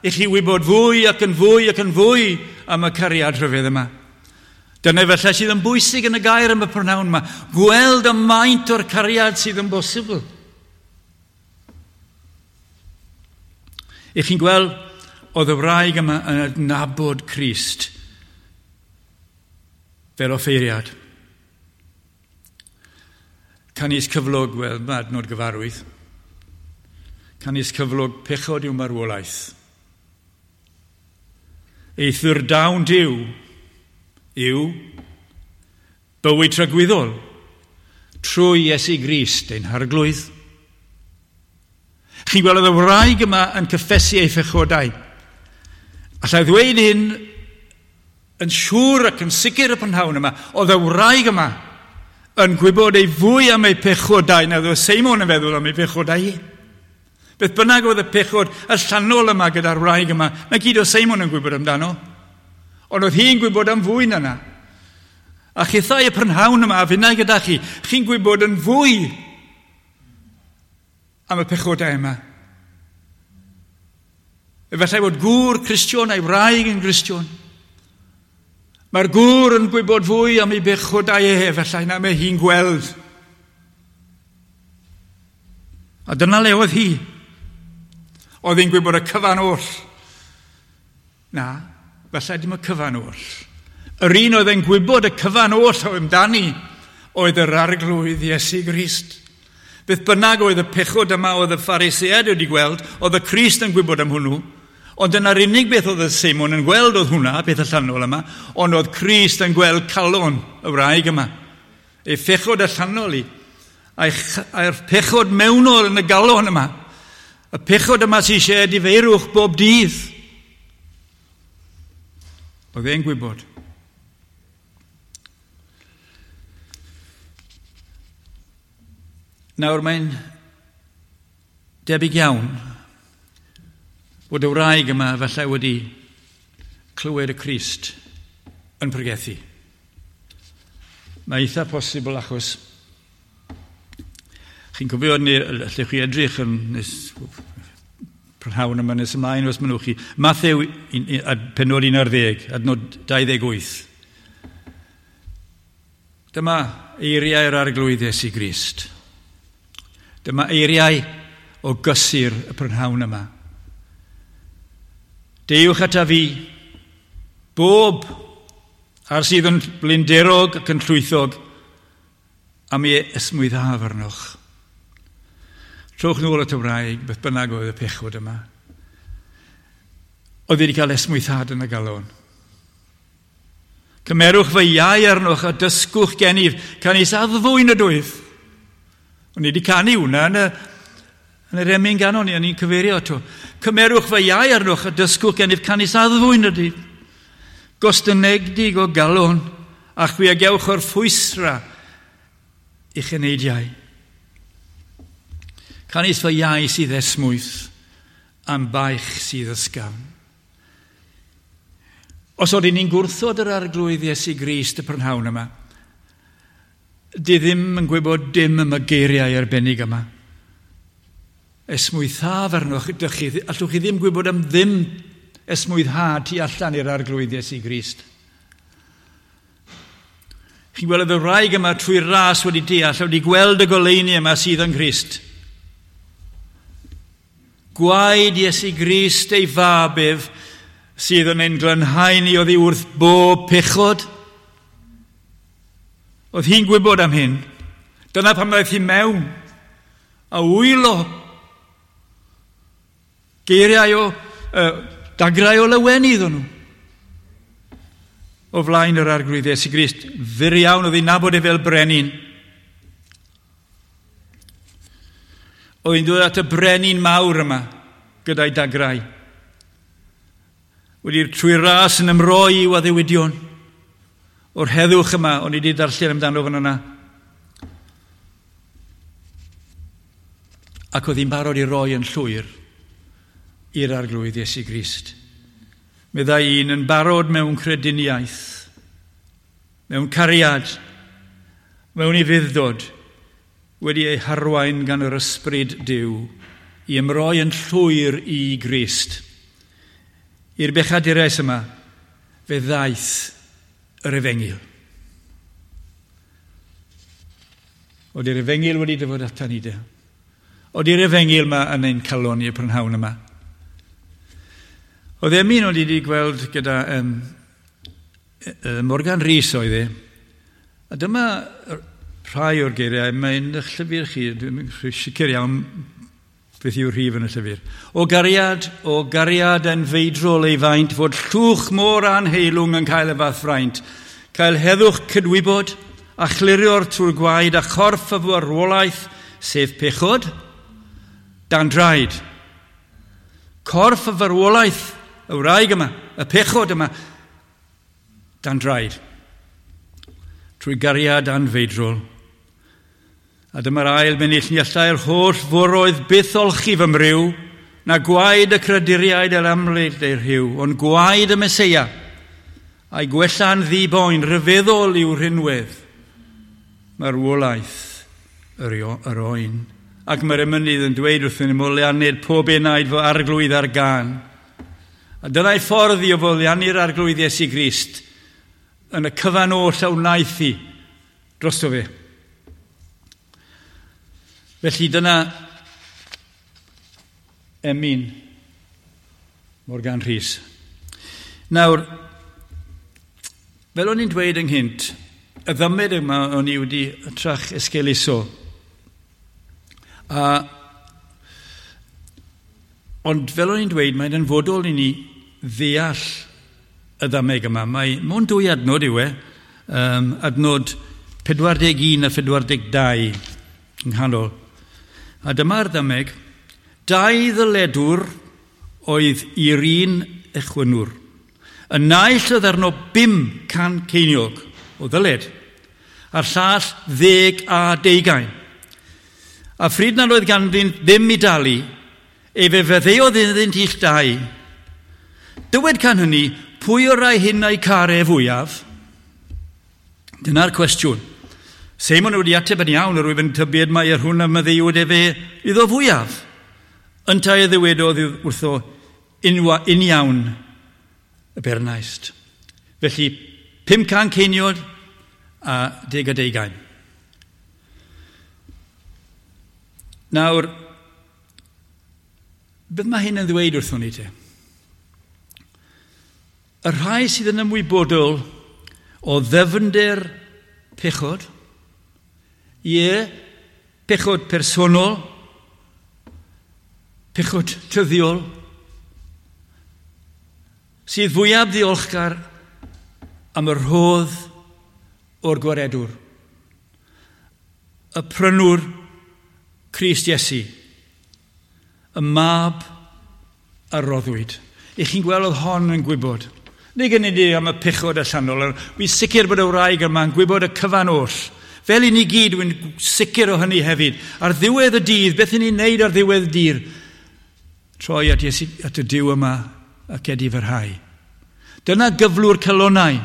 Speaker 1: i chi wybod fwy ac yn fwy ac yn fwy am y cariad rhyfedd yma. Dyna felly sydd yn bwysig yn y gair am y prynhawn yma. Gweld y maint o'r cariad sydd yn bosibl. I chi'n gweld, oedd y wraig yma yn adnabod Crist fel offeiriad. Canys cyflog, wel, mae adnod gyfarwydd. Canys cyflog pechod yw marwolaeth. Eithr dawn Duw yw bywyd tragwyddol trwy Iesu Grist ein Harglwydd. Chi'n gweld y wraig yma yn cyffesu ei phechodau. Alla i ddweud hyn yn siŵr ac yn sicr y prynhawn yma, oedd y wraig yma yn gwybod ei fwy am ei pechodau na oedd Seimon yn feddwl am ei pechodau hi. Beth bynnag oedd y pechod allanol yma gyda'r wraig yma, na gyd oedd Seimon yn gwybod amdano. Ond oedd hi'n gwybod am fwy na na. A chithau y prynhawn yma, a finnau gyda chi, chi'n gwybod yn fwy am y pechodau yma. Efallai bod gŵr Cristion a'i wraig yn Gristion. Mae'r gŵr yn gwybod fwy am ei bechodau e, efallai na mae hi'n gweld. A dyna le oedd hi. Oedd hi'n gwybod y cyfan oll. Na, falle dim y cyfan oll. Yr un oedd yn gwybod y cyfan oll o amdani oedd yr Arglwydd Iesu Grist. Beth bynnag oedd y pechod yma oedd y Phariseaid wedi gweld, oedd y Crist yn gwybod am hwnnw, ond dyna'r unig beth oedd y Seimon yn gweld oedd hwnna, beth allanol yma, ond oedd Crist yn gweld calon y wraig yma. Ei phechod allanol i, a'r pechod mewnol yn y galon yma. Y pechod yma sy'n eisiau edifeirwch bob dydd. Oedd e'n gwybod. Nawr mae'n debyg iawn bod y wraig yma falle wedi clywed y Crist yn pregethu. Mae eitha posibl achos chi'n cofio, allwch chi edrych yn nes, prynhawn yma nes ymlaen os mynnwch chi. Mathew pennod un ar ddeg, adnod dau ddeg wyth. Dyma eiriau'r Arglwydd Iesu Grist. Dyma eiriau o gysur y prynhawn yma. Deuwch ata fi, bob ar sydd yn blinderog ac yn llwythog, a mi esmwythaf arnoch. Trowch nôl at y wraig, beth bynnag oedd y pechod yma. Oedd wedi cael esmwythad yn y galon. Cymerwch fy iau arnoch a dysgwch gennyf, canys addfwyn ydwyf. O'n i wedi canu hwnna yn y, yn yr emyn ganon ni, o'n i'n cyfeirio ato. Cymerwch fy iau arnoch a dysgwch gennyf, canys addfwyn ydwyf. Gostynegdig o galon, a chwi a gewch o'r ffwysra i'ch eneidiau. Canys fy iau sydd esmwyth, am baich sydd ysgafn. Os oedden ni'n gwrthod yr Arglwydd Iesu Grist y prynhawn yma, di ddim yn gwybod dim am y geiriau arbennig yma. Esmwythaf arnoch, ydych chi, allwch chi ddim gwybod am ddim esmwythad tu allan i'r Arglwydd Iesu Grist. Chi'n gweld y wraig yma trwy'r ras wedi deall, wedi gweld y goleuni yma sydd yng Nghrist. Gwaed Iesu Grist ei fab ef sydd yn ein glanhau ni oddi wrth bob pechod. Oedd hi'n gwybod am hyn. Dyna pam ddaeth hi mewn a wylo. Geiriau o, uh, dagrau o lawenydd o'n nhw. O flaen yr Arglwydd Iesu Grist. Fyr iawn oedd hi'n nabod e fel brenin. Oedd hi'n dod at y brenin mawr yma gyda'i dagrau. Wedi'r trwy ras yn ymroi i'w addewidion. O'r heddwch yma, o'n i wedi darllen amdano fan yna. Ac oedd hi'n barod i roi yn llwyr i'r Arglwydd Iesu Grist. Meddai un yn barod mewn crediniaeth, mewn cariad, mewn ufudd-dod, wedi ei harwain gan yr ysbryd Duw i ymroi yn llwyr i Grist. I'r bechadurus yma, fe ddaeth yr efengyl. Oedd yr efengyl wedi dyfod ata ni de. Oedd yr efengyl yma yn ein calon i y prynhawn yma. Oedd emyn o'n i wedi gweld gyda um, Morgan Rhys oedd e. A dyma rhai o'r geiriau, mae'n eich llyfr chi, dwi'n sicr iawn beth yw'r rhif yn y llyfr. O gariad, o gariad yn feidrol ei faint, fod llwch môr anheilwng yn cael y fath fraint, cael heddwch cydwybod a chlirio'r trwy'r gwaed a chorff y farwolaeth, sef pechod, dan draed. Corff y farwolaeth, y wraig yma, y pechod yma, dan draed. Trwy gariad anfeidrol. A dyma'r ail bennill, ni allai'r holl foroedd byth olchi fy mryw, na gwaed y creduriaid el amlyd ei rhyw, ond gwaed y Meseia, a'i gwella'n ddi-boen rhyfeddol i'w rhinwedd. Marwolaeth yr, yr oen. Ac mae'r emynydd yn dweud wrthyn ni, moliannid pob enaid fy arglwydd ar gân. A dyna'i ffordd i o foliannu'r arglwydd Iesu Grist yn y cyfan oll a wnaeth hi drosto fe. Felly dyna emyn Morgan Rhys. Nawr, fel o'n i'n dweud ynghynt, y ddymed yma o'n i wedi trach esgeuluso. A, ond fel o'n i'n dweud, mae'n hanfodol i ni ddeall y ddameg yma. Mae mewn dwy adnod yw e, um, adnod pedwar deg un a pedwar deg dau yng nghanol. A dyma'r ddameg, dau ddyledwr oedd i'r un echwynwr. Y naill oedd arno bum can ceiniog o ddyled, a'r llall ddeg a deugain. A phryd nad oedd ganddynt ddim i dalu, efe feddeodd iddynt ill dau. Dywed can hynny, pwy o'r rai hyn a'i care fwyaf? Dyna'r cwestiwn. Seimon wedi ateb yn iawn, yr wyf yn tybied mai yr hwn a maddeuwyd efe iddo fwyaf. Yntau y ddywedodd wrtho unwa, uniawn y bernaist. Felly, pum can ceiniog a deg a deugain. Nawr, beth mae hyn yn ddweud wrthon ni te? Y rhai sydd yn ymwybodol o ddyfnder pechod, ie, pechod personol, pechod tyddiol, sydd fwyaf ddiolchgar am y rhodd o'r gwaredwr, y prynwr Crist Iesu, y mab a roddwyd. I chi'n gweld oedd hon yn gwybod. Nid gen i am y pechod allanol, wy'n sicr bod y wraig yma'n gwybod y cyfan oll. Fel i ni gyd, wy'n sicr o hynny hefyd. Ar ddiwedd y dydd, beth i ni'n neud ar ddiwedd y dydd? Troi at, Iesu, at y Duw yma ac edifarhau. Dyna gyflwr calonnau.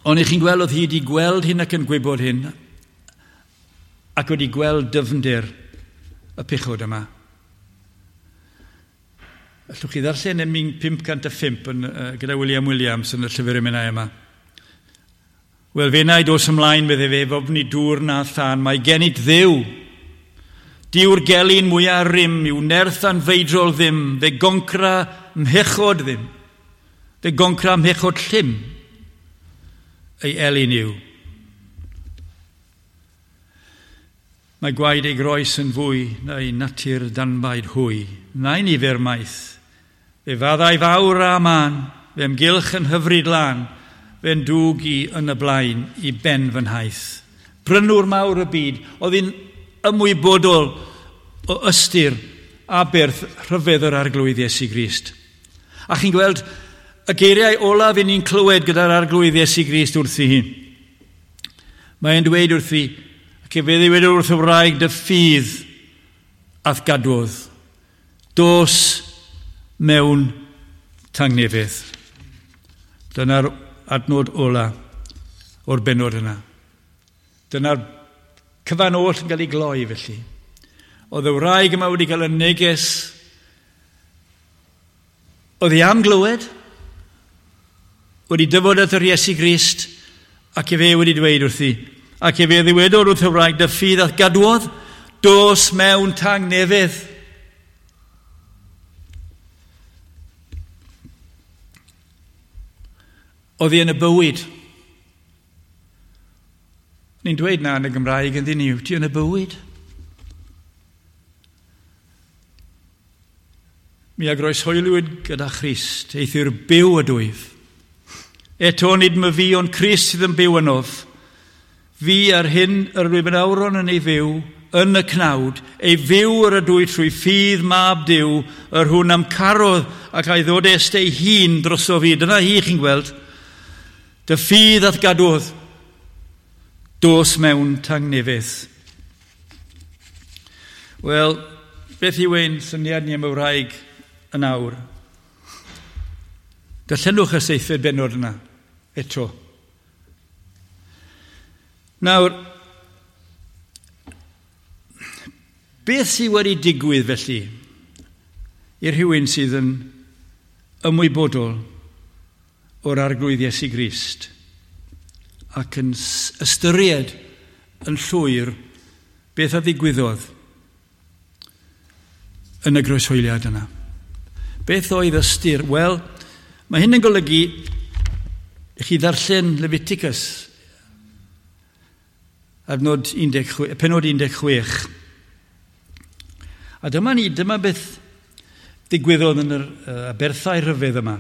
Speaker 1: Ond i chi'n gweld oedd hi wedi gweld hyn ac yn gwybod hyn, ac wedi gweld dyfnder y pechod yma. Allwch chi ddarllen emyn pump cant a phump yn, uh, gyda William Williams yn y llyfr emynau yma. Wel, fe wna i dos ymlaen, medde fe, fofni dŵr na thân, mae gennyt Dduw. Dyw'r gelyn mwyaf rym, yw nerth anfeidrol ddim, fe goncra mhechod ddim, fe goncra mhechod llym, ei elyn yw. Mae gwaed ei groes yn fwy na'i natur danbaid hwy, na'i nifer maith. Fe faddau fawr a man, fe ymgylch yn hyfryd lan, fe'n dwg i yn y blaen i ben fy nhaith. Prynwr mawr y byd, oedd hi'n ymwybodol o ystyr aberth rhyfedd yr arglwydd Iesu Grist. A chi'n gweld y geiriau olaf i ni'n clywed gyda'r arglwydd Iesu Grist wrthi hi. Mae'n dweud wrthi, ac efe ddywedodd wrth y wraig, dy ffydd a'th gadwodd. Dos mewn tangnefedd. Dyna'r adnod ola o'r bennod yna. Dyna'r cyfan oll yn cael ei gloi felly. Oedd y wraig yma wedi cael y neges. Oedd hi am glywed, wedi dyfod at yr Iesu Grist, ac efe wedi dweud wrthi, ac efe ddywedodd wrth y wraig, dy ffydd a'th gadwodd, dos mewn tangnefedd. Oedd hi yn y bywyd. Ni'n dweud na yn y Gymraeg yn ddyn ni, ti yn y bywyd. Mi a groeshoeliwyd gyda Christ, eithr byw ydwyf. Eto nid my fi ond Crist sydd yn byw ynof. Fi ar hyn yr wyf yn awron yn ei fyw, yn y cnawd, ei fyw yr ydw i trwy ffydd mab Duw, yr hwn am carodd ac a'i ddodest ei hun droso fi. Dyna hi chi'n gweld. Dy ffydd ath gadwodd, dos mewn tangnefedd. Wel, beth yw ein syniad ni am y wraig yn awr? Darllenwch y seithfed bennod yna, eto. Nawr, beth sydd wedi digwydd felly i rhywun sydd yn ymwybodol o'r Arglwydd Iesu Grist ac yn ystyried yn llwyr beth a ddigwyddodd yn y groeshoeliad yna? Beth oedd ystyr? Wel, mae hyn yn golygu i chi ddarllen Leviticus, adnod un deg chwech, pennod un deg chwech. A dyma ni, dyma beth ddigwyddodd yn yr uh, aberthau rhyfedd yma.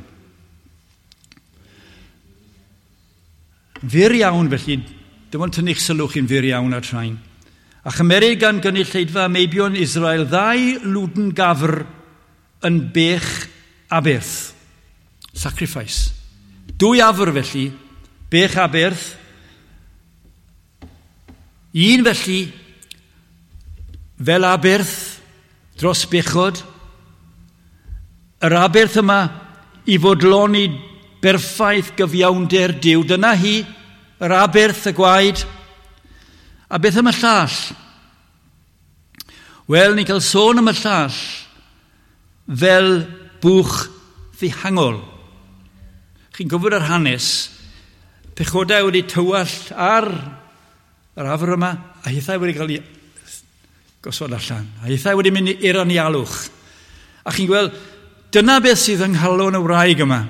Speaker 1: Fyr iawn felly, dim ond tynnu'ch sylw chi'n fyr iawn ar train. A chymerid gan gynulleidfa meibion Israel ddau lwdn gafr yn bech aberth. Sacrifice. Dwy afr felly, bech aberth. Un felly, fel aberth dros bechod. Yr aberth yma i fodloni berffaith gyfiawnder Duw. Dyna hi, yr aberth, y gwaed. A beth am y llall? Wel, ni'n cael sôn am y llall fel bwch ddihangol. Chi'n gwybod yr hanes, pechodau wedi tywallt ar yr afr yma, a hithau wedi cael ei gosod allan. A hithau wedi mynd i'r anialwch. A chi'n gweld, dyna beth sydd yng nghalon y wraig yma.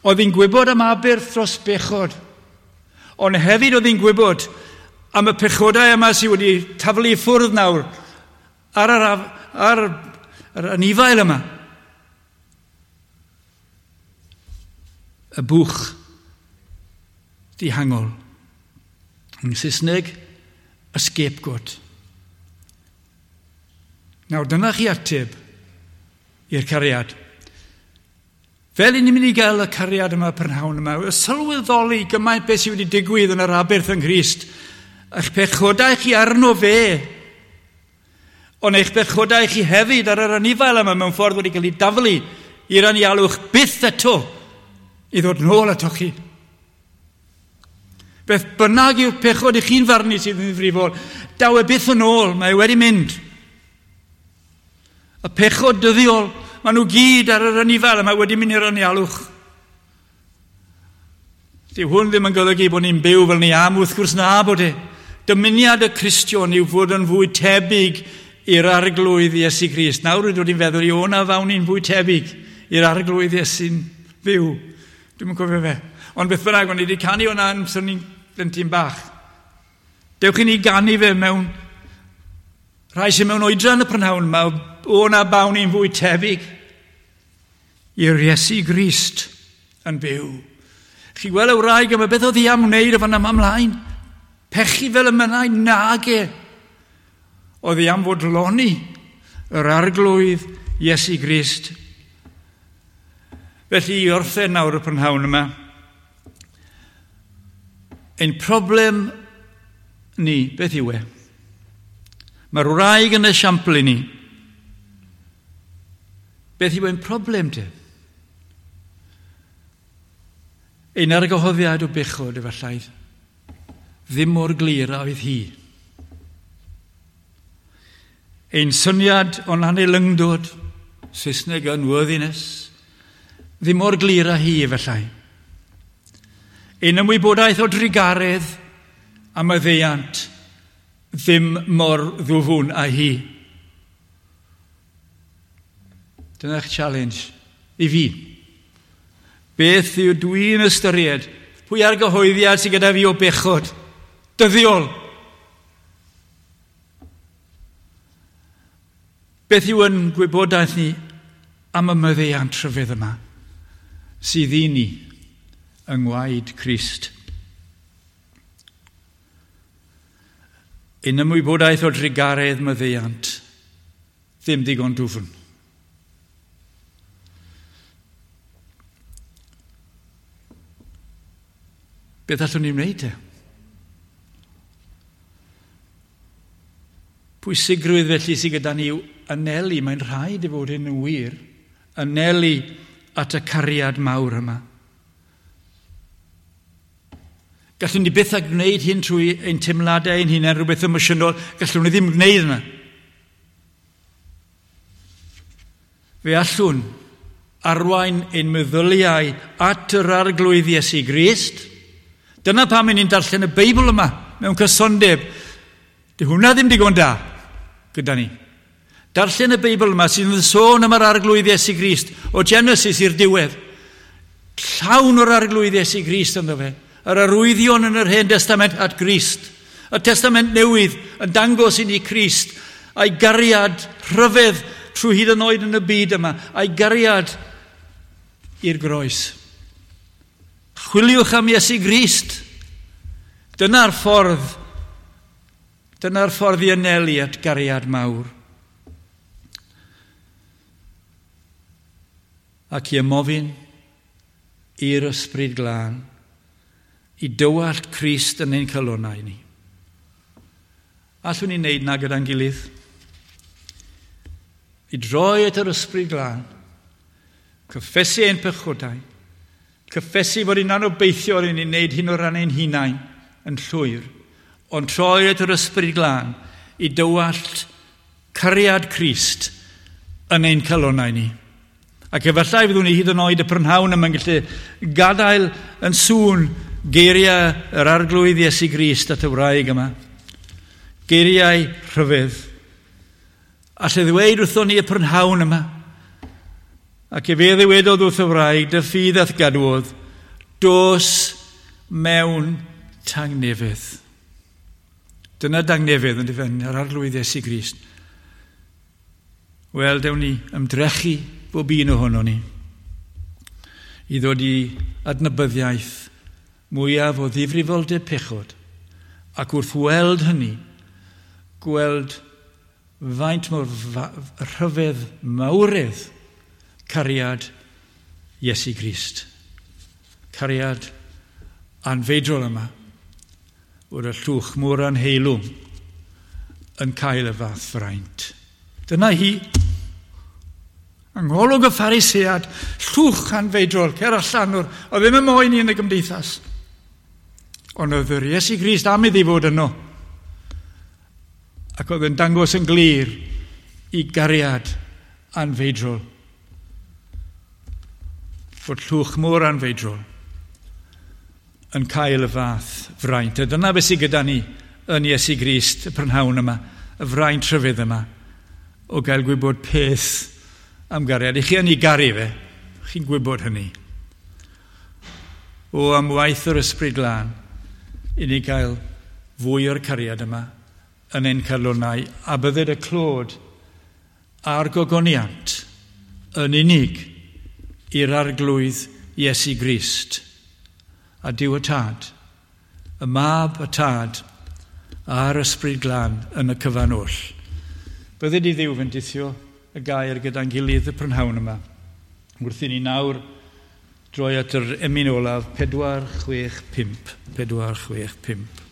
Speaker 1: Oedd hi'n gwybod am aberth dros bechod. Ond hefyd oedd hi'n gwybod am y pechodau yma sydd wedi taflu i ffwrdd nawr ar yr, ar, ar anifail yma. Y bwch dihangol. Yn Saesneg, y scapegoat. Nawr, dyna chi ateb i'r cariad. Fel i ni'n mynd i gael y cariad yma prynhawn yma, y sylweddoli gymaint beth sydd wedi digwydd yn yr aberth yng Nghrist, eich pechodau chi arno fe, ond eich pechodau chi hefyd ar yr anifail yma mewn ffordd wedi cael ei daflu i'r anialwch byth eto i ddod nôl ato chi. Beth bynnag yw'r pechod i chi'n farnu sydd yn ddifrifol, daw e byth yn ôl, mae e wedi mynd. Y pechod dyddiol, maen nhw gyd ar yr anifail yma wedi mynd i'r anialwch. Dyw hwn ddim yn golygu bod ni'n byw fel ni am, wrth gwrs na bod e. Dymuniad y Cristion yw fod yn fwy tebyg i'r Arglwydd Iesu Grist. Nawr rydw i'n feddwl i o na fawn ni'n fwy tebyg i'r Arglwydd Iesu'n fyw. Dwi'm yn cofio fe. Ond beth bynnag, o'n i wedi canu hwnna yn swn i'n blentyn bach. Dewch i ni ganu fe mewn rhai sy'n mewn oedran y prynhawn yma, o na bawn ni'n fwy tebyg i'r Iesu Grist yn byw. Chi gweld y wraig yma, beth oedd hi am wneud o fan yma ymlaen? Pechu fel y mynnau? Nage. Oedd hi am fodloni yr Arglwydd Iesu Grist. Felly i orffen nawr y prynhawn yma, ein problem ni, beth yw e? Mae'r wraig yn esiampl i ni. Beth yw ein problem te? Ein argyhoeddiad o bechod efallai ddim mor glir a oedd hi. Ein syniad o'n aneilyngdod, Saesneg unworthiness, ddim mor glir â hi efallai. Ein ymwybodaeth o drugaredd a maddeuant ddim mor ddwfwn â hi. Dyna'ch challenge i fi. Beth yw dwi'n ystyried? Pwy argyhoeddiad sydd gyda fi o bechod? Dyddiol. Beth yw yn gwybodaeth ni am y maddeuant rhyfedd yma sydd i ni yng ngwaed Crist? Ein ymwybodaeth o drugaredd maddeuant ddim digon dwfn. Beth allwn ni wneud te? Pwysigrwydd felly sydd gyda ni yw anelu, mae'n rhaid i fod hyn yn wir, anelu at y cariad mawr yma. Gallwn ni byth a gwneud hyn trwy ein teimladau ein hunain, rhywbeth emosiynol, gallwn ni ddim gwneud yna. Fe allwn arwain ein meddyliau at yr Arglwydd Iesu Grist. Dyna pam ni'n darllen y Beibl yma mewn cysondeb. Di hwnna ddim digon da gyda ni. Darllen y Beibl yma sydd yn sôn am yr Arglwydd Iesu Grist o Genesis i'r diwedd. Llawn o'r Arglwydd Iesu Grist ynddo fe. Yr arwyddion yn yr Hen Testament at Grist. Y Testament Newydd yn dangos i ni Crist a'i gariad rhyfedd trwy hyd yn oed yn y byd yma, a'i gariad i'r groes. Chwiliwch am Iesu Grist. Dyna'r ffordd, dyna'r ffordd i anelu at gariad mawr. Ac i ymofyn i'r Ysbryd Glân i dywallt Crist yn ein calonnau ni. Allwn ni wneud na gyda'n gilydd? I droi at yr Ysbryd Glân, cyffesu ein pechodau, cyffesu fod ni'n anobeithiol i ni wneud hyn o ran ein hunain yn llwyr, ond troi at yr Ysbryd Glân i dywallt cariad Crist yn ein calonnau ni. Ac efallai fyddwn ni hyd yn oed y prynhawn yma'n gallu gadael yn sŵn geiriau yr Arglwydd Iesu Grist at y wraig yma. Geiriau rhyfedd. Alle ddweud wrthon ni y prynhawn yma. Ac efe ddywedodd wrth y wraig, dy ffydd a'th gadwodd, dos mewn tangnefedd. Dyna dangnefedd yn dyfen, yr Arglwydd Iesu Grist. Wel, dewn ni ymdrechu bob un ohono ni i ddod i adnabyddiaeth mwyaf o ddifrifoldeb pechod, ac wrth weld hynny, gweld faint mor rhyfedd mawredd cariad Iesu Grist. Cariad anfeidrol yma, bod y llwch mor anheilwng yn cael y fath fraint. Dyna hi. Yng ngolwg y Pharisead, llwch anfeidrol, cer allan o'r, oedd ddim yn moyn i yn y gymdeithas. Ond oedd yr Iesu Grist am iddi fod yno. Ac oedd yn dangos yn glir i gariad anfeidrol. Fod llwch mor anfeidrol yn cael y fath fraint. A dyna beth sydd gyda ni yn Iesu Grist y prynhawn yma, y fraint rhyfedd yma, o gael gwybod peth am gariad. I chi yn ei garu fe, chi'n gwybod hynny. O, am waith yr Ysbryd Glân, i ni gael fwy o'r cariad yma yn ein calonnau, a bydded y clod a'r gogoniant yn unig i'r Arglwydd Iesu Grist a Duw y Tad, y Mab y Tad a'r Ysbryd Glân yn y cyfan oll. Bydded i Dduw fendithio y gair gyda'n gilydd y prynhawn yma. Wrth i ni nawr droi at yr emyn olaf, pedwar, chwech, pump. Pedwar, chwech, pump.